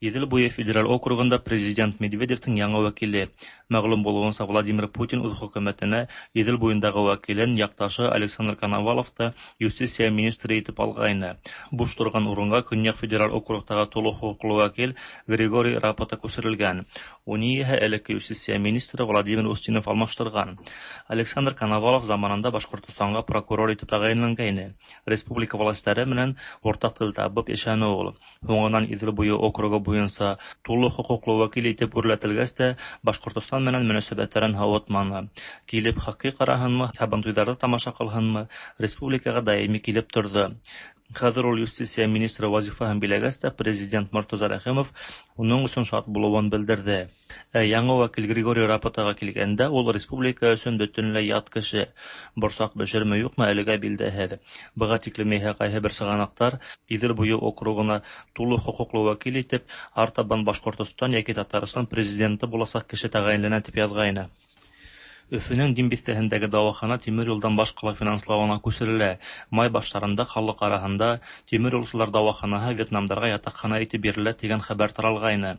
Иҙел буйы федераль округында президент Медведевтең яңы вәкиле. Мәғлүм булыуынса, Владимир Путин үҙ хөкүмәтенә Иҙел буйындағы вәкилен яҡташы Александр Коноваловты юстиция министры итеп алғайны. Буш торған урынға Көньяҡ федераль округтағы тулы хоҡуҡлы вәкил Григорий Рапота күсерелгән. Уны иһә элекке юстиция министры Владимир Устинов алмаштырған. Александр Коновалов заманында Башҡортостанға прокурор итеп тәғәйенләнгәйне. Республика властары менән уртаҡ тел табып йәшәне ул. Һуңынан Иҙел буйы округы буйынса тулы хоҡуҡлы вәкил итеп үрләтелгәс тә Башҡортостан менән мөнәсәбәттәрен һауытманы. Килеп хоккей ҡараһынмы, һабантуйҙарҙы тамаша ҡылһынмы, республикаға даими килеп торҙо. Хәҙер ул юстиция министры вазифаһын биләгәс тә президент Мортаза Рәхимов уның өсөн шат булыуын белдерҙе. Ә яңы вәкил Григорий Рапотаға килгәндә, ул республика өсөн бөтөнләй ят кеше. Борсаҡ бешерме юҡмы әлегә билдәһеҙ. Быға тиклем иһә ҡайһы бер сығанаҡтар Иҙел буйы округына тулы хоҡуҡлы вәкил итеп артабан Башҡортостан йәки Татарстан президенты буласаҡ кеше тәғәйенләнә тип яҙғайны. Өфөнөң Дим биҫтәһендәге дауахана тимер юлдан баш ҡала финанслауына күсерелә. Май баштарында халыҡ араһында тимер юлсылар дауаханаһы вьетнамдарға ятаҡхана итеп бирелә тигән хәбәр таралғайны.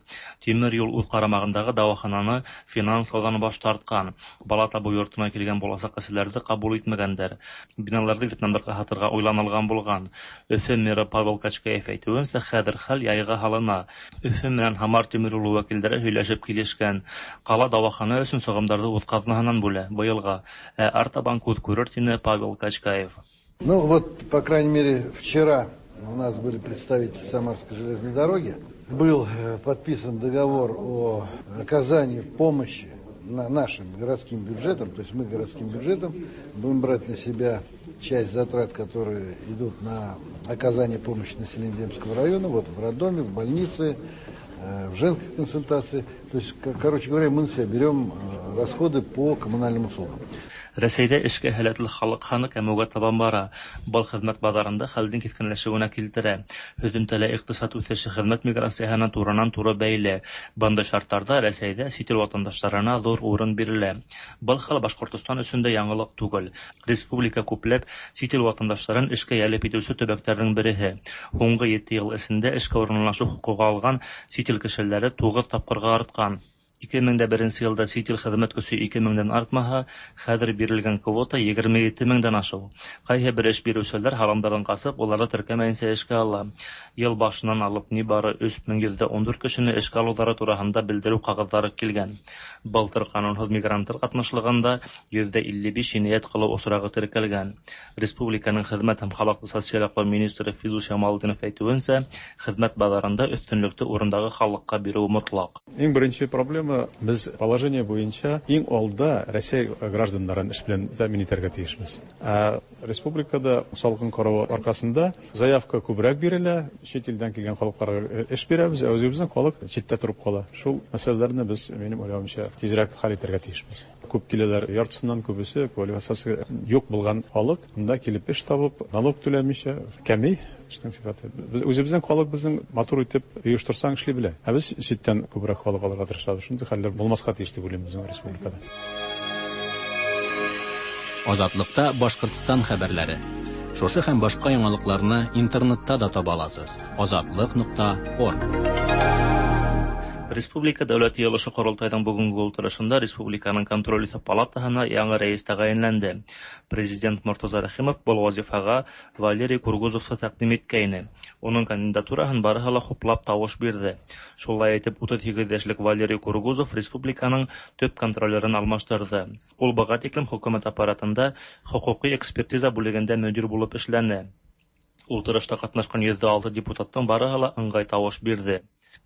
Тимер юл үҙ ҡарамағындағы дауахананы финанслауҙан баш тартҡан. Бала табыу йортона килгән буласаҡ әсәләрҙе ҡабул итмәгәндәр. Биналарҙы вьетнамдарға һатырға уйланылған булған. Өфө мэры Павел Качкаев әйтеүенсә, хәҙер хәл яйға һалына. Өфө менән Һамар тимер юлы вәкилдәре һөйләшеп килешкән. Ҡала дауахана өсөн сығымдарҙы үҙ ҡаҙнаһынан бүлә быйылға, ә артабан күҙ күрер, тине Павел Качкаев. Ну вот, по крайней мере, вчера у нас были представители Самарской железной дороги. Был подписан договор о оказании помощи на нашим городским бюджетом, то есть мы городским бюджетом будем брать на себя часть затрат, которые идут на оказание помощи населению Демского района, вот в роддоме, в больнице, в женской консультации. То есть, короче говоря, мы на себя берем расходы по коммунальным услугам. Рәсәйҙә эшкә һәләтле халыҡ һаны кәмеүгә табан бара. Был хеҙмәт баҙарында хәлдең киҫкенләшеүенә килтерә. Һөҙөмтәлә иҡтисад үҫеше хеҙмәт миграцияһына туранан-тура бәйле. Бындай шарттарҙа Рәсәйҙә сит ил ватандаштарына ҙур урын бирелә. Был хәл Башҡортостан өсөн дә яңылыҡ түгел. Республика күпләп сит ил ватандаштарын эшкә йәлеп итеүсе төбәктәрҙең береһе. Һуңғы ете йыл эсендә эшкә урынлашыу хоҡуғы алған сит ил кешеләре туғыҙ тапҡырға артҡан. Ике мең дә беренсе йылда сит ил хеҙмәт көсө ике меңдән артмаһа, хәҙер бирелгән квота егерме ете меңдән ашыу. Ҡайһы бер эш биреүселәр һаламдарҙан ҡасып, уларҙы теркәмәйенсә эшкә ала. Йыл башынан алып ни бары өс мең йөҙҙә ун дүрт кешене эшкә алыуҙары тураһында белдереү ҡағыҙҙары килгән. Былтыр ҡанунһыҙ мигранттар ҡатнашлығында йөҙҙә илле биш енәйәт ҡылыу осрағы теркәлгән. Республиканың хеҙмәт һәм халыҡты социаль яҡлау министры Фидус Ямалдинов әйтеүенсә, хеҙмәт баҙарында өҫтөнлөктө урындағы халыҡҡа биреү мотлаҡ. Иң беренсе проблема Без положение буйынса иң алда Рәсәй граждандарын эш белән тәэмин итәргә тиешбез. Ә республикада салкын карау аркасында заявка күбрәк бирелә, чит илдән килгән халыкларга эш бирәбез, ә үзебезнең халык читтә торып кала. Шул мәсьәләләрне без, минем уйлавымча, тизрәк хәл итәргә тиешбез. Күп киләләр, яртысыннан күбесе квалификациясы юк булган халык, монда килеп эш табып, налог түләмичә, кәми эшнең сифаты. Без үзебезнең халык безнең матур итеп оештырсаң эшли белә. Ә без читтән күбрәк халык алырга тырышабыз. Шундый хәлләр булмаска тиеш дип уйлыйм безнең республикада. Азатлыкта Башҡортостан хәбәрләре. Шушы һәм башҡа яңалыҡларны интернетта да таба аласыз. Азатлык нуҡта орг. Республика Дәүләт Йыйылышы Ҡоролтайҙың бөгөнгө ултырышында Республиканың контроль иҫәп палатаһына яңы рәйес тәғәйенләнде. Президент Мортаза Рәхимов был вазифаға Валерий Кургузовты тәҡдим иткәйне. Уның кандидатураһын барыһы ла хуплап тауыш бирҙе. Шулай итеп, утыҙ һигеҙ йәшлек Валерий Кургузов республиканың төп контролерын алмаштырҙы. Ул быға тиклем хөкүмәт аппаратында хоҡуҡи экспертиза бүлегендә мөдир булып эшләне. Ултырышта ҡатнашҡан йөҙҙә алты депутаттың барыһы ла ыңғай тауыш бирҙе.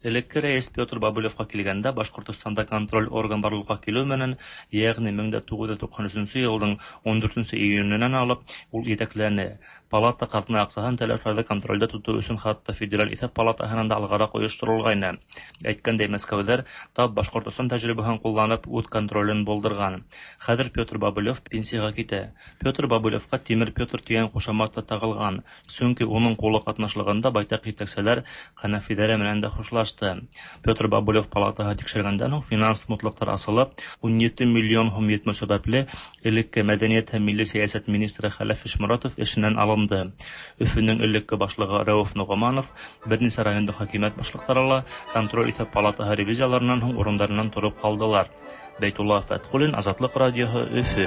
Элекке рәйес Петр Бабылевҡа килгәндә Башҡортостанда контроль орган барлыҡҡа килеү менән, йәғни мең дә туғыҙ йөҙ туҡһан өсөнсө йылдың ун дүртенсе июненән алып ул етәкләне. Палата ҡаҙна аҡсаһын теләүселәрҙе контролдә тотоу өсөн хатта Федераль иҫәп палатаһынан да алғараҡ ойошторолғайны. Әйткәндәй, мәскәүҙәр тап Башҡортостан тәжрибәһен ҡулланып үҙ контролен булдырған. Хәҙер Петр Бабылев пенсияға китә. Петр Бабылевҡа Тимер Петр тигән ҡушамат та тағылған, сөнки уның ҡулы ҡатнашлығында байтаҡ етәкселәр Хәнәфиҙәре менән дә хушлашты. Петр Бабылев палатаһы тикшергәндән һуң финанс мутлыҡтар асылып, ун ете миллион һум етмәү сәбәпле элекке мәҙәниәт һәм милли сәйәсәт министры Хәләф Ишморатов эшенән алынды. Өфөнөң элекке башлығы Рәүеф Ноғоманов, бер нисә райондың хакимиәт башлыҡтары ла контроль иҫәп палатаһы ревизияларынан һуң урындарынан тороп ҡалдылар. Бәйтулла Фәтхуллин, Азатлыҡ радиоһы, Өфө.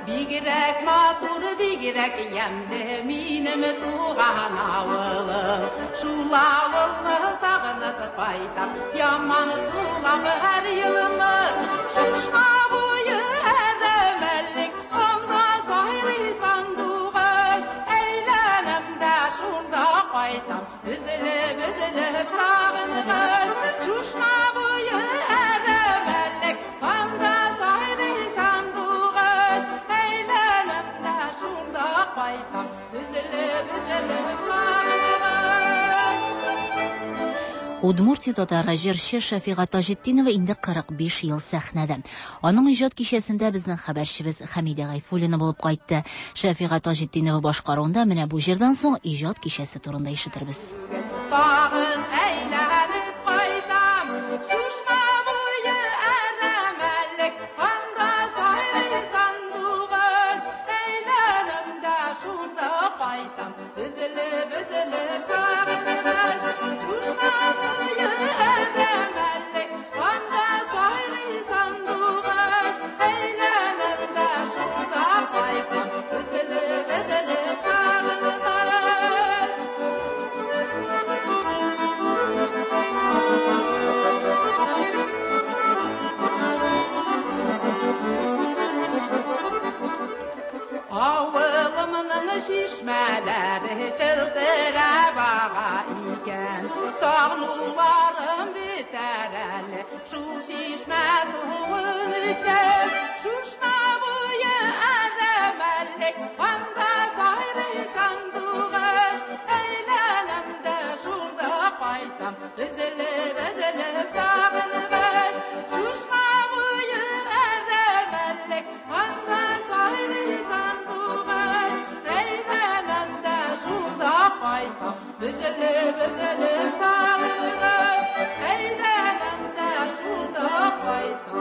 Бигерәк матур, бигерәк йәмле минем туған ауылым. Шул ауылны сағынып ҡайтам, яман сулап һәр йылымы. Шушма буйы әрәмәлек, анда сайрый сандуғас. Әйләнәм дә шунда ҡайтам, өҙөлөп, өҙөлөп сағынғас. Шушма буйы әрәмәлек, анда сайрый сандуғас. Әйләнәм дә шунда ҡайтам, өҙөлөп, өҙөлөп сағынғас. Удмуртия татары җырчы Шәфиға Таҗетдинова инде кырык биш ел сәхнәдә. Аның иҗат кичәсендә безнең хәбәрчебез Хәмидә Гайфуллина булып кайтты. Шәфиға Таҗетдинова башкаруында менә бу җырдан соң иҗат кичәсе турында ишетербез. Тагын әйләнеп кайтам, Шушма буе әрәмәлек, анда сайрый сандуғас. Әйләнәм дә шунда кайтам, өзелеп, өзелеп сагынғас. Шушма буе әрәмәлек, анда сайрый сандуғас. Әйләнәм дә шунда кайтам, өзелеп, өзелеп сагынғас. Авылымның шишмәләре шылтырап аға икән, сағынуларым бетәр әле шул шишмә суын эчсәм. Шушма буе әрәмәлек, анда сайрый сандуғас. Әйләнәм дә шунда кайтам, өзелеп, өзелеп сағынғас. Шушма буе әрәмәлек, анда сайрый сандуғас. Әйләнәм дә шунда кайтам, өзелеп, өзелеп сағынғас. Әйләнәм дә шунда кайтам,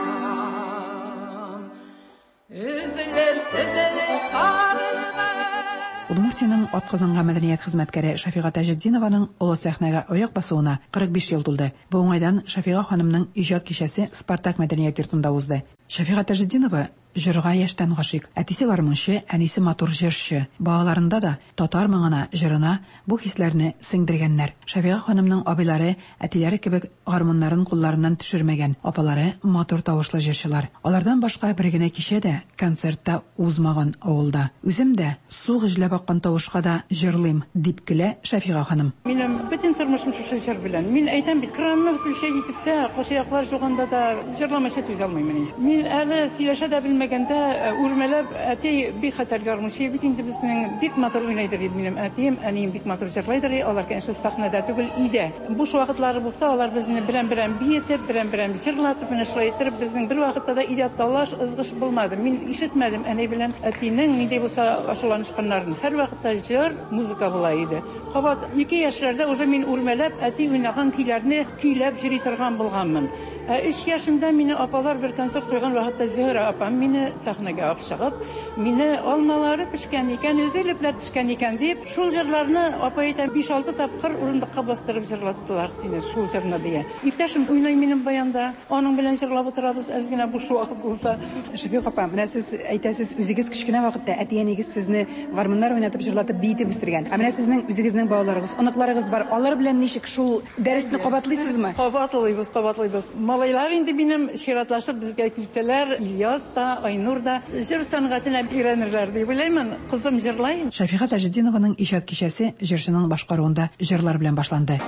өзелеп, өзелеп сағынғас. Удмуртияның атказанган мәдәният хезмәткәре Шәфиға Таҗетдинованың олы сәхнәгә аяк басуына кырык биш ел тулды. Бу уңайдан Шәфиға ханымның иҗат кичәсе Спартак мәдәният йортында узды. Шәфиға Таҗетдинова җырга яшьтән гашыйк. Әтисе гармунчы, әнисе матур җырчы. Балаларында да татар моңына, җырына бу хисләрне сеңдергәннәр. Шәфиға ханымның абыйлары әтиләре кебек гармуннарын кулларыннан төшермәгән. Апалары матур тавышлы җырчылар. Алардан башка бер генә кичә дә концертта узмаган авылда. Үзем дә су гөжләп аккан тавышка да җырлыйм, дип көлә Шәфиға ханым. Минем бөтен тормышым шушы җыр белән. Мин әйтәм бит, кранны включать итеп тә, кошаяклар жуганда да җырламыйча түзә алмыйм мин. Мин әле сөйләшә дә белмәгәндә үрмәләп әти бик хәтәр гармунчы бит инде безнең, бик матур уйнайдыр минем әтием, әнием бик матур җырлайдыр. Алар конечно сәхнәдә түгел, өйдә. Буш вакытлары булса, алар безне берәм-берәм биетеп, берәм-берәм җырлатып, менә шулай итеп безнең бер вакытта да өйдә талаш, ызгыш булмады. Мин ишетмәдем әни белән әтинең нинди булса ачуланышканнарын. Һәр вакытта җыр, музыка була иде. Кабат ике яшьләрдә уже мин үрмәләп әти уйнаган көйләрне көйләп йөри торган булганмын. Өч яшемдә мине апалар бер концерт куйган вакытта Зөһрә апам мине сәхнәгә алып чыгып, мине алмалары пешкән икән, өзелепләр төшкән икән дип, шул җырларны апа әйтә биш-алты тапкыр урындыкка бастырып җырлаттылар сине шул җырны дия. Иптәшем уйнай минем баянда, аның белән җырлап утырабыз, әз генә буш вакыт булса. Шәфиға апа, менә сез әйтәсез, үзегез кечкенә вакытта әти-әнигез сезне гармуннар уйнатып җырлатып биетеп үстергән. Ә менә сезнең үзегезнең балаларыгыз, оныкларыгыз бар. Алар белән ничек шул дәресне кабатлыйсызмы? Кабатлыйбыз, кабатлыйбыз. Малайлар инде минем чиратлашып безгә килсәләр, Ильяс та, Айнур да җыр сәнгатенә өйрәнерләр дип уйлыймын. Кызым җырлай. Шәфиға Таҗетдинованың иҗат кичәсе җырчының башкаруында җырлар белән башланды.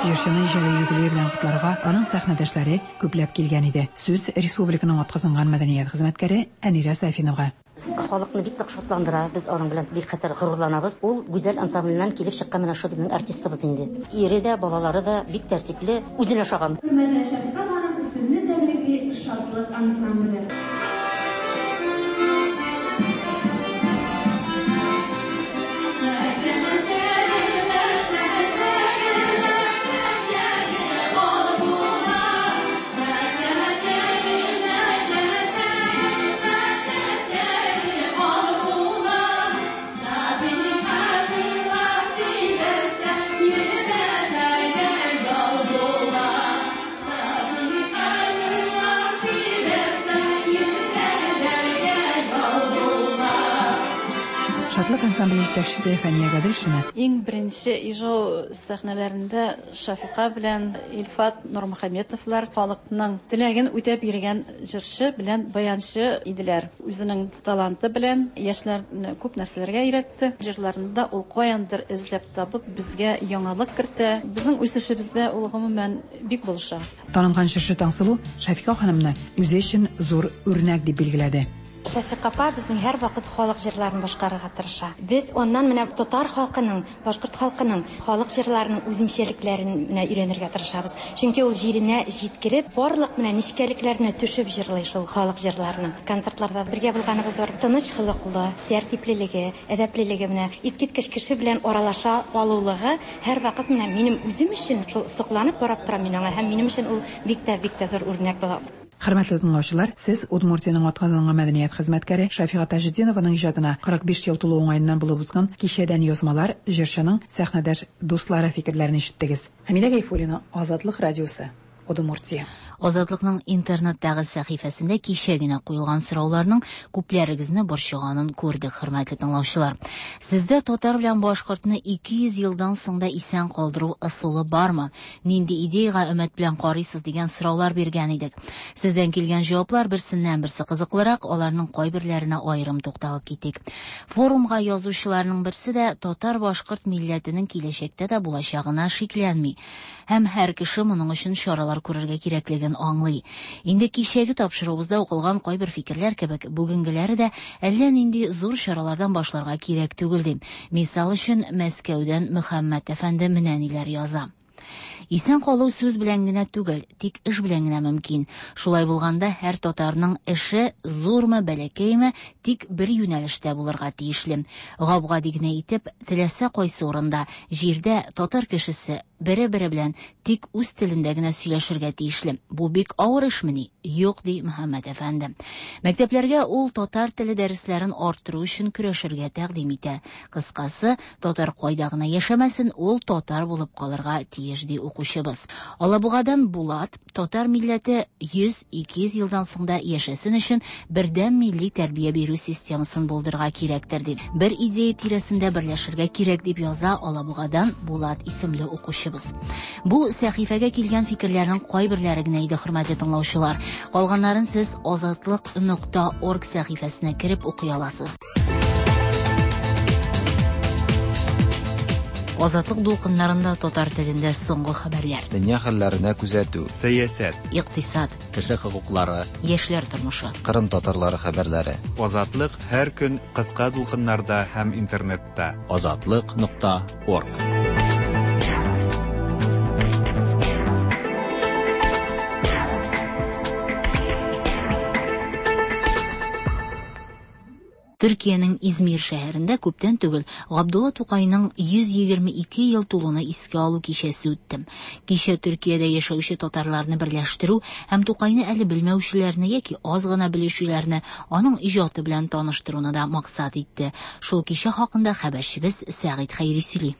Җырчыны иҗади юбилее белән котларга аның сәхнәдәшләре күпләп килгән иде. Сүз республиканың атказанган мәдәният хезмәткәре Әнирә Сафинова. Халыкны бик нык шатландыра, без аның белән бик хәтәр горурланабыз. Ул Гүзәл ансамбленнән килеп чыккан менә шул безнең артистыбыз инде. Ире дә, балалары да бик тәртипле, үзенә ошаган. Хөрмәтле Шәфика ханым, сезне тәбрикли Шатлык ансамбле. Шатлык ансамбле җитәкчесе Фәния Гаделшина. Иң беренче Ижау сәхнәләрендә Шафика белән Илфат Нурмөхәммәтовлар халыкның теләген үтәп йөргән җырчы белән баянчы иделәр. Үзенең таланты белән яшьләрне күп нәрсәләргә өйрәтте. Җырларында ул каяндыр эзләп табып безгә яңалык кертә. Безнең үсешебездә ул гомумән бик булыша. Танылган җырчы Таңсылу Шафика ханымны үзе өчен зур үрнәк дип билгеләде. Шәфика апа безнең һәр вакыт халык җырларын башкарырга тырыша. Без аннан менә татар халкының, башкорт халкының халык җырларының үзенчәлекләрен менә өйрәнергә тырышабыз. Чөнки ул җиренә җиткереп, барлык менә нечкәлекләренә төшеп җырлый шул халык җырларының. Концертларда бергә булганыбыз бар. Тыныч холыклы, тәртиплелеге, әдәплелеге менә искиткеч кеше белән аралаша алулыгы һәр вакыт менә минем үзем өчен шул сокланып карап торам мин аңа һәм минем өчен ул бик тә бик тә зур үрнәк була. Хөрмәтле тыңлаучылар, сез Удмуртиянең атказанган мәдәният хезмәткәре Шафига Таҗетдинованың иҗатына кырык биш ел тулу уңаеннан булып узган кичәдән язмалар, җырчының сәхнәдәш дуслары фикерләрен ишеттегез. Хәмидә Гайфуллина, Азатлык радиосы, Удмуртия. Азатлыкның интернеттагы сәхифәсендә кичә генә куелган сорауларның күпләрегезне борчыганын күрдек, хөрмәтле тыңлаучылар. Сездә татар белән башкортны ике йөз елдан соң да исән калдыру ысулы бармы? Нинди идеяга өмет белән карыйсыз дигән сораулар биргән идек. Сездән килгән җаваплар берсеннән берсе кызыклырак, аларның кайберләренә аерым тукталып китик. Форумга язучыларның берсе дә татар-башкорт милләтенең киләчәктә дә булачагына шикләнми. Һәм һәр кеше моның өчен чаралар күрергә кирәклеген аңлый. Инде кичәге тапшыруыбызда укылган кайбер фикерләр кебек, бүгенгеләре дә әллә нинди зур чаралардан башларга кирәк түгел ди. Мисал өчен, Мәскәүдән Мөхәммәт әфәнде менә ниләр яза. Исән калу сүз белән генә түгел, тик эш белән генә мөмкин. Шулай булганда һәр татарның эше зурмы, бәләкәйме, тик бер юнәлештә булырга тиешле. Гап-гади генә итеп, теләсә кайсы урында, җирдә татар кешесе бере-бере белән тик үз телендә генә сөйләшергә тиешле. Бу бик авыр эшмени? Юк, ди Мөхәммәт әфәнде. Мәктәпләргә ул татар теле дәресләрен арттыру өчен көрәшергә тәкъдим итә. Кыскасы, татар кайда гына яшәмәсен, ул татар булып калырга тиеш, ди укучыбыз. Алабугадан Булат, татар милләте йөз ике йөз елдан соң да яшәсен өчен бердәм милли тәрбия бирү системасын булдырырга кирәктер, ди. Бер идея тирәсендә берләшергә кирәк, дип яза Алабугадан Булат исемле укучыбыз. Бу сәхифәгә килгән фикерләрнең кайберләре генә иде, хөрмәтле тыңлаучылар. Калганнарын сез азатлык нокта орг сәхифәсенә кереп укый аласыз. Азатлык дулкыннарында татар телендә соңгы хәбәрләр. Дөнья хәлләренә күзәтү, сәясәт, икътисад, кеше хокуклары, яшьләр тормышы, Кырым татарлары хәбәрләре. Азатлык һәр көн кыска дулкыннарда һәм интернетта. Азатлык нокта орг. Төркиянең Измир шәһәрендә күптән түгел Габдулла Тукайның йөз егерме ике ел тулуны искә алу кичәсе үтте. Кичә Төркиядә яшәүче татарларны берләштерү һәм Тукайны әле белмәүчеләрне яки аз гына белүчеләрне аның иҗаты белән таныштыруны да максат итте. Шул кичә хакында хәбәрчебез Сәгыйть Хәйри сөйли.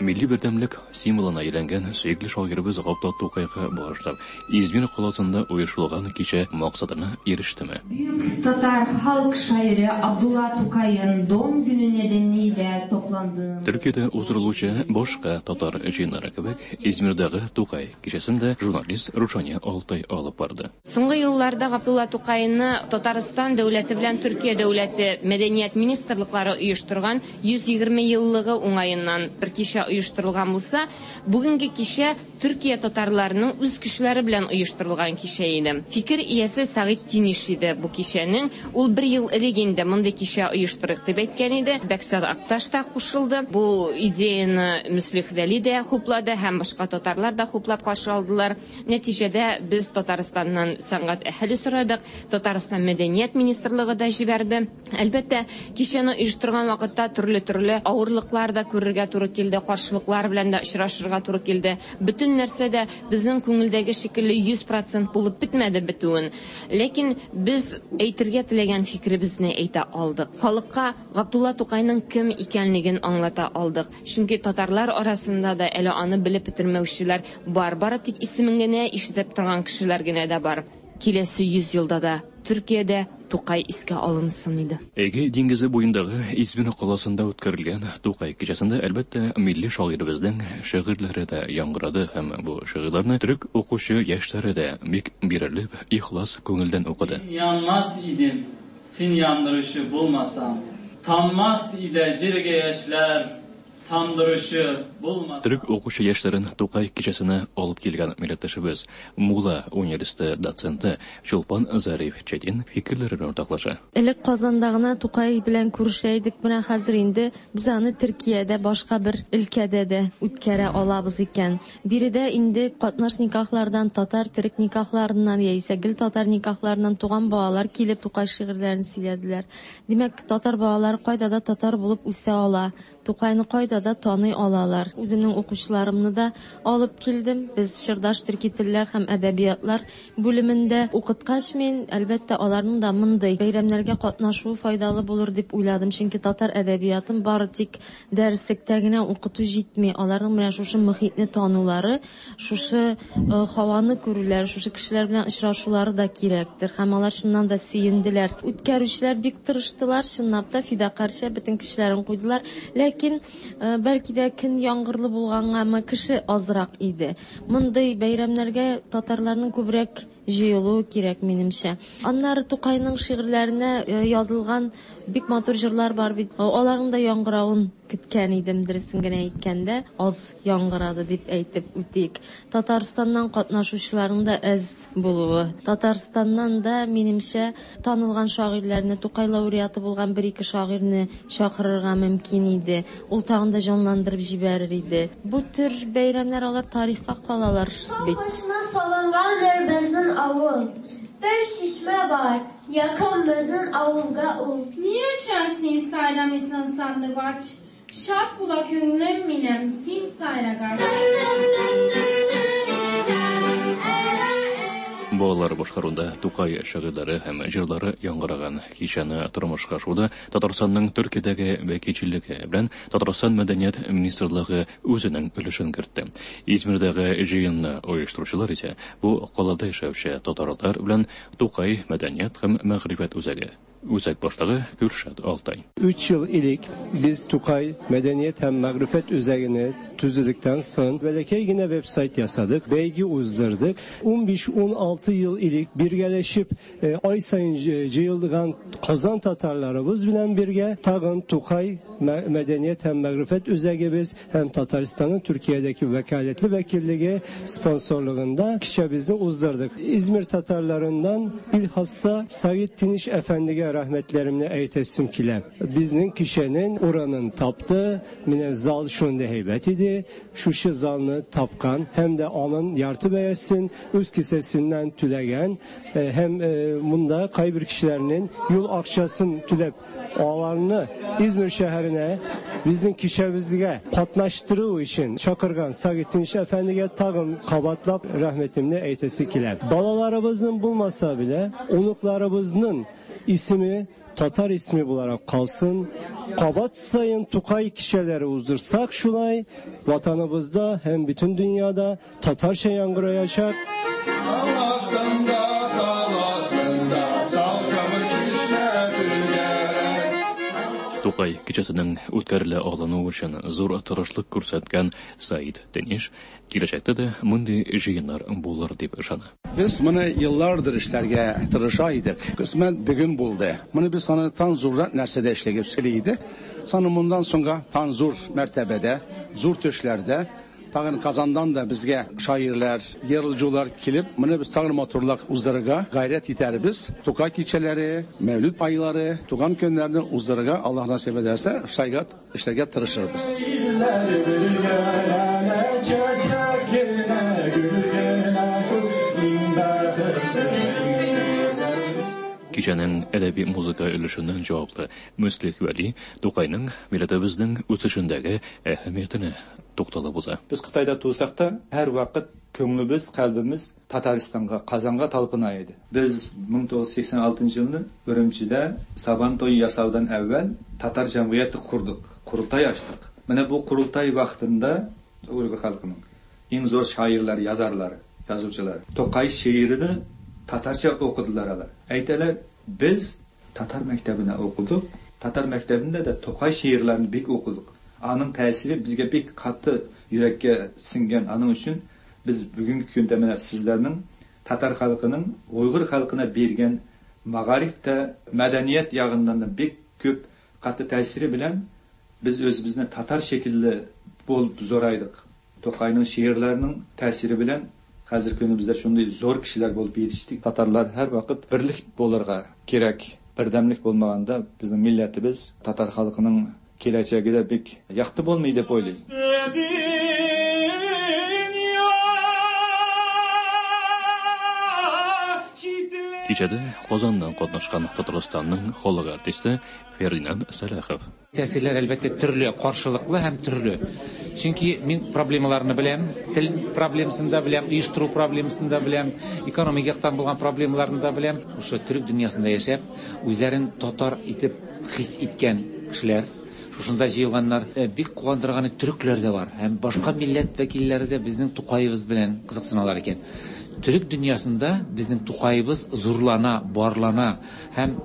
Милли бердәмлек символына әйләнгән сөекле шагыйребез Габдулла Тукайга багышлап, Измир каласында оештырылган кичә максатына ирештеме? Büyük Tatar halk şairi Abdullah Tukay'ın doğum günü nedeniyle toplandığımız Төркиядә уздырылучы башка татар җыеннары кебек Измирдәге Тукай кичәсендә журналист Рушания Алтай алып барды. Соңгы елларда Габдулла Тукайны Татарстан дәүләте белән Төркия дәүләте мәдәният министрлыклары оештырган йөз егерме еллыгы уңаеннан бер кичә оештырылган булса, бүгенге кичә Төркия татарларының үз көчләре белән оештырылган кичә иде. Фикер иясе Сәгыйть Тиниш иде бу кичәнең. Ул бер ел элек инде мондый кичә оештырык дип әйткән иде. Бәксәт Акташ та кушылды. Бу идеяны Мөслих Вәли дә хуплады һәм башка татарлар да хуплап каршы алдылар. Нәтиҗәдә без Татарстаннан сәнгать әһеле сорадык. Татарстан мәдәният министрлыгы да җибәрде. Әлбәттә, кичәне оештырган вакытта төрле-төрле авырлыклар да күрергә туры килде, каршылыклар белән дә очрашырга туры килде. Бөтен нәрсә дә безнең күңелдәге шикелле йөз процент булып бетмәде бетүен. Ләкин без әйтергә теләгән фикеребезне әйтә алдык. Халыкка Габдулла Тукайның кем икәнлеген аңлата алдык. Чөнки татарлар арасында да әле аны белеп бетермәүчеләр бар. Бары тик исемен генә ишетеп торган кешеләр генә дә бар. Киләсе йөз елда да Төркиядә Тукай искә алынсын иде. Эгей диңгезе буендагы Измир каласында үткәрелгән Тукай кичәсендә әлбәттә милли шагыйребезнең шигырьләре дә яңгырады һәм бу шигырьләрне төрек укучы яшьләре дә бик бирелеп, ихлас күңелдән укыды. Янмас идем, син яндырышы булмасам, таммас иде җиргә яшьләр, тамдырышы булмаса. Төрек укучы яшьләрен Тукай кичәсенә алып килгән милләттәшебез Мула университеты доценты Чулпан Зариф Четин фикерләре белән уртаклаша. Элек Казанда гына Тукай белән күрешә идек, менә хәзер инде без аны Төркиядә башка бер өлкәдә дә үткәрә алабыз икән. Биредә инде катнаш никахлардан, татар төрек никахларыннан яисә гел татар никахларыннан туган балалар килеп Тукай шигырьләрен сөйләделәр. Димәк, татар балалары кайда да татар булып үсә ала, Тукайны кайда да таный алалар. Үземнең укучыларымны да алып килдем. Без чордаш төрки телләр һәм әдәбиятлар бүлемендә укыткач, мин әлбәттә аларның да мондый бәйрәмнәргә катнашуы файдалы булыр дип уйладым. Чөнки татар әдәбиятын бары тик дәреслектә генә укыту җитми. Аларның менә шушы мөхитне танулары, шушы һаваны күрүләре, шушы кешеләр белән очрашулары да кирәктер. Һәм алар чыннан да сөенделәр. Үткәрүчеләр бик тырыштылар, чынлап та фидакарча бөтен кешеләрен куйдылар. Ләкин бәлки дә көн яңгырлы булгангамы, кеше азрак иде. Мондый бәйрәмнәргә татарларның күбрәк җыелуы кирәк минемчә. Аннары Тукайның шигырьләренә язылган бик матур җырлар бар бит. Аларның да яңгыравын көткән идем, дөресен генә әйткәндә, аз яңгырады дип әйтеп үтик. Татарстаннан катнашучыларның да әз булуы. Татарстаннан да минемчә танылган шагыйрьләрне, Тукай лауреаты булган бер-ике шагыйрьне чакырырга мөмкин иде. Ул тагын да җанландырып җибәрер иде. Бу төр бәйрәмнәр алар тарихка калалар бит. Башына салынгандыр безнең авыл. Бер шишмә бар, якын безнең авылга ул. Ни өчен син сайрамыйсың сандугач? Шат була күңлем минем, син сайрагач. Балалар башкаруында Тукай шигырьләре һәм җырлары яңгыраган кичәне тормышка ашыруда Татарстанның Төркиядәге вәкилчелеге белән Татарстан мәдәният министрлыгы үзенең өлешен кертте. Измирдәге җыенны оештыручылар исә бу калада яшәүче татарлар белән Тукай мәдәният һәм мәгърифәт үзәге. Үзәк башлыгы Gürşat Altay. Üç yıl ilik biz Tukay Medeniyet hem Mağrifet Üzerine tüzüdükten sonra belki yine website yasadık, belge uzdırdık. on beş on altı yıl ilik birgeleşip e, ay sayın cıyıldıgan Kazan Tatarlarımız bilen birge tagın Tukay Medeniyet hem Mağrifet Üzeri biz hem Tataristan'ın Türkiye'deki vekaletli vekilliği sponsorluğunda kişi uzdırdık. İzmir Tatarlarından bilhassa Said Tiniş Efendi'ye rahmetlerimle eytesim kile. Biznin kişinin oranın taptı, mine zal şunda heybet idi. Şuşu zalını tapkan hem de onun yartı beyesin, üst kisesinden tülegen hem bunda kaybır kişilerinin yol akçasın tülep ağlarını İzmir şehrine bizim kişemizge patlaştırığı için Çakırgan Said Tiniş Efendi'ye tağım kabatlap rahmetimle eytesi kile. Balalarımızın bulmasa bile onuklarımızın ismi Tatar ismi bularak kalsın. Kabat sayın Tukay kişileri uzdursak şulay, vatanımızda hem bütün dünyada Tatarça yangırayacak. Тукай кичәсенең үткәрелә алынуы өчен зур тырышлык күрсәткән Саид Тениш киләчәктә дә мондый җыеннар булыр дип ышана. Biz bunu yıllardır işlerge tırışaydık. Kısmen bugün buldu. Bunu biz sana tan zurra nersede işlegip Sana bundan sonra tan zur mertebede, zur töşlerde, tağın Kazandan da bizge şairler, yarılcılar kelip, bunu biz tağın motorlak uzdırıga gayret iter biz. Tukay keçeleri, mevlüt ayları, tugan könlerini uzdırıga Allah nasip ederse şaygat işlerge tırışır biz. Кичәнең әдәби музыка өлешеннән җаваплы Мөслих Вәли Тукайның милләтебезнең үсешендәге әһәмиятенә тукталып уза. Без Кытайда тусак та һәр вакыт күңелебез, калбибез Татарстанга, Казанга талпына иде. Без мең тугыз йөз сиксән алтынчы елны Үрүмчидә Сабан туе ясаудан әүвәл татар җәмгыяте курдык, курултай ачтык. Менә бу курултай вакытында уйгыр халкының иң зур шагыйрьләре, язарлары, язучылары Тукай шигырен татарча оқыдылар алар. Әйтәләр, без татар мәктәбенә оқыдык. Татар мәктәбендә дә Тукай шигырьләрен бик оқыдык. Аның тәэсире безгә бик каты йөрәккә сеңгән. Аның өчен без бүгенге көндә менә сезләрнең татар халкының уйгыр халкына биргән мәгарифтә, мәдәният ягыннан да бик күп каты тәэсире белән без үзебезне татар шикелле булып зорайдык. Тукайның шигырьләренең тәэсире белән хәзер көнебездә шундый зур кешеләр булып yetiştik. Татарлар һәр вакыт берлек булырга кирәк. Бердәмлек булмаганда безнең милләтебез, татар халкының киләчәге дә бик якты булмый дип уйлыйм. Кичәдә Казаннан катнашкан Татарстанның халык артисты Фердинанд Сәлахов. Тәэсирләр әлбәттә төрле, каршылыклы һәм төрле. Чөнки мин проблемаларны беләм, тел проблемасын да беләм, оештыру проблемасын да беләм, экономик яктан булган проблемаларны да беләм. Шушы төрек дөньясында яшәп, үзләрен татар итеп хис иткән кешеләр, шушында җыелганнар, бик куандырганы төрекләр дә бар һәм башка милләт вәкилләре дә безнең Тукаебыз белән кызыксыналар икән. Төрек дөньясында безнең Тукаебыз зурлана, барлана һәм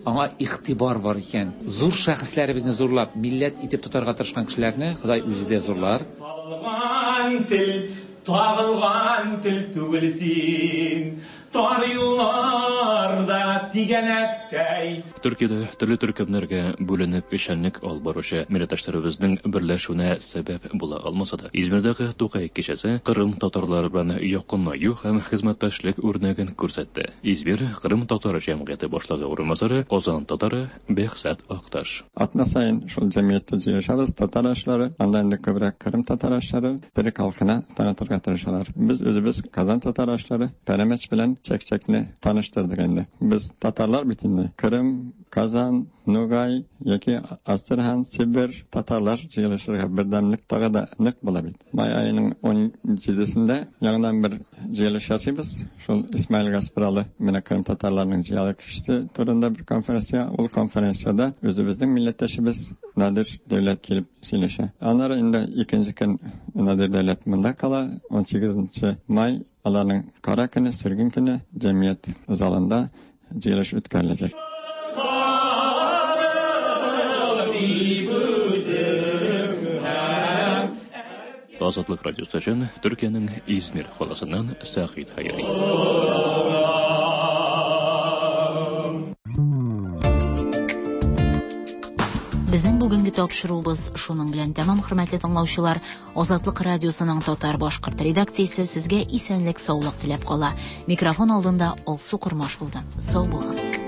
аңа игътибар бар икән. Зур шәхесләребезне зурлап, милләт итеп тотарга тырышкан кешеләрне Ходай үзе дә зурлар. Табылган тел, табылган тел түгел син, тар юлларда тигәнәктәй. Төркиядә төрле төркемнәргә бүленеп эшчәнлек алып баручы милләттәшләребезнең берләшүенә сәбәп була алмаса да, Измирдәге Тукай кичәсе Кырым татарлары белән якынаю һәм хезмәттәшлек үрнәген күрсәтте. Измир Кырым татар җәмгыяте башлыгы урынбасары Казан татары Бехзат Акташ. Атна сайын шул җәмгыятьтә җыелышабыз, татар ашлары, анда инде күбрәк Кырым татар ашлары, төрек халкына танытырга тырышалар. Без үзебез Казан татар ашлары пәрәмәч белән чәкчәкне таныштырдык инде. Без татарлар бит инде. Кырым, Казан, Нугай яки Астрахань, Сибир татарлар җыелышырга бердәмлек тагы да нык була бит. Май аеның ун җидесендә яңадан бер җыелыш ясыйбыз. Шул Исмаил Гаспралы менә Кырым татарларының зыялы кешесе турында бер конференция. Ул конференцияда үзебезнең милләттәшебез Надир Дәүләт килеп сөйләшә. Аннары инде икенче көн Надир Дәүләт монда кала. ун сигезенче май аларның кара көне, сөргүн көне җәмгыять залында җыелыш үткәреләчәк. Азатлык радиосы өчен Төркиянең Измир каласыннан Сәгыйть Хәйри. Безнең бүгенге тапшыруыбыз шуның белән тәмам, хөрмәтле тыңлаучылар. Азатлык радиосының татар башкорт редакциясе сезгә исәнлек, саулык теләп кала. Микрофон алдында Алсу Кормаш булды. Сау булыгыз.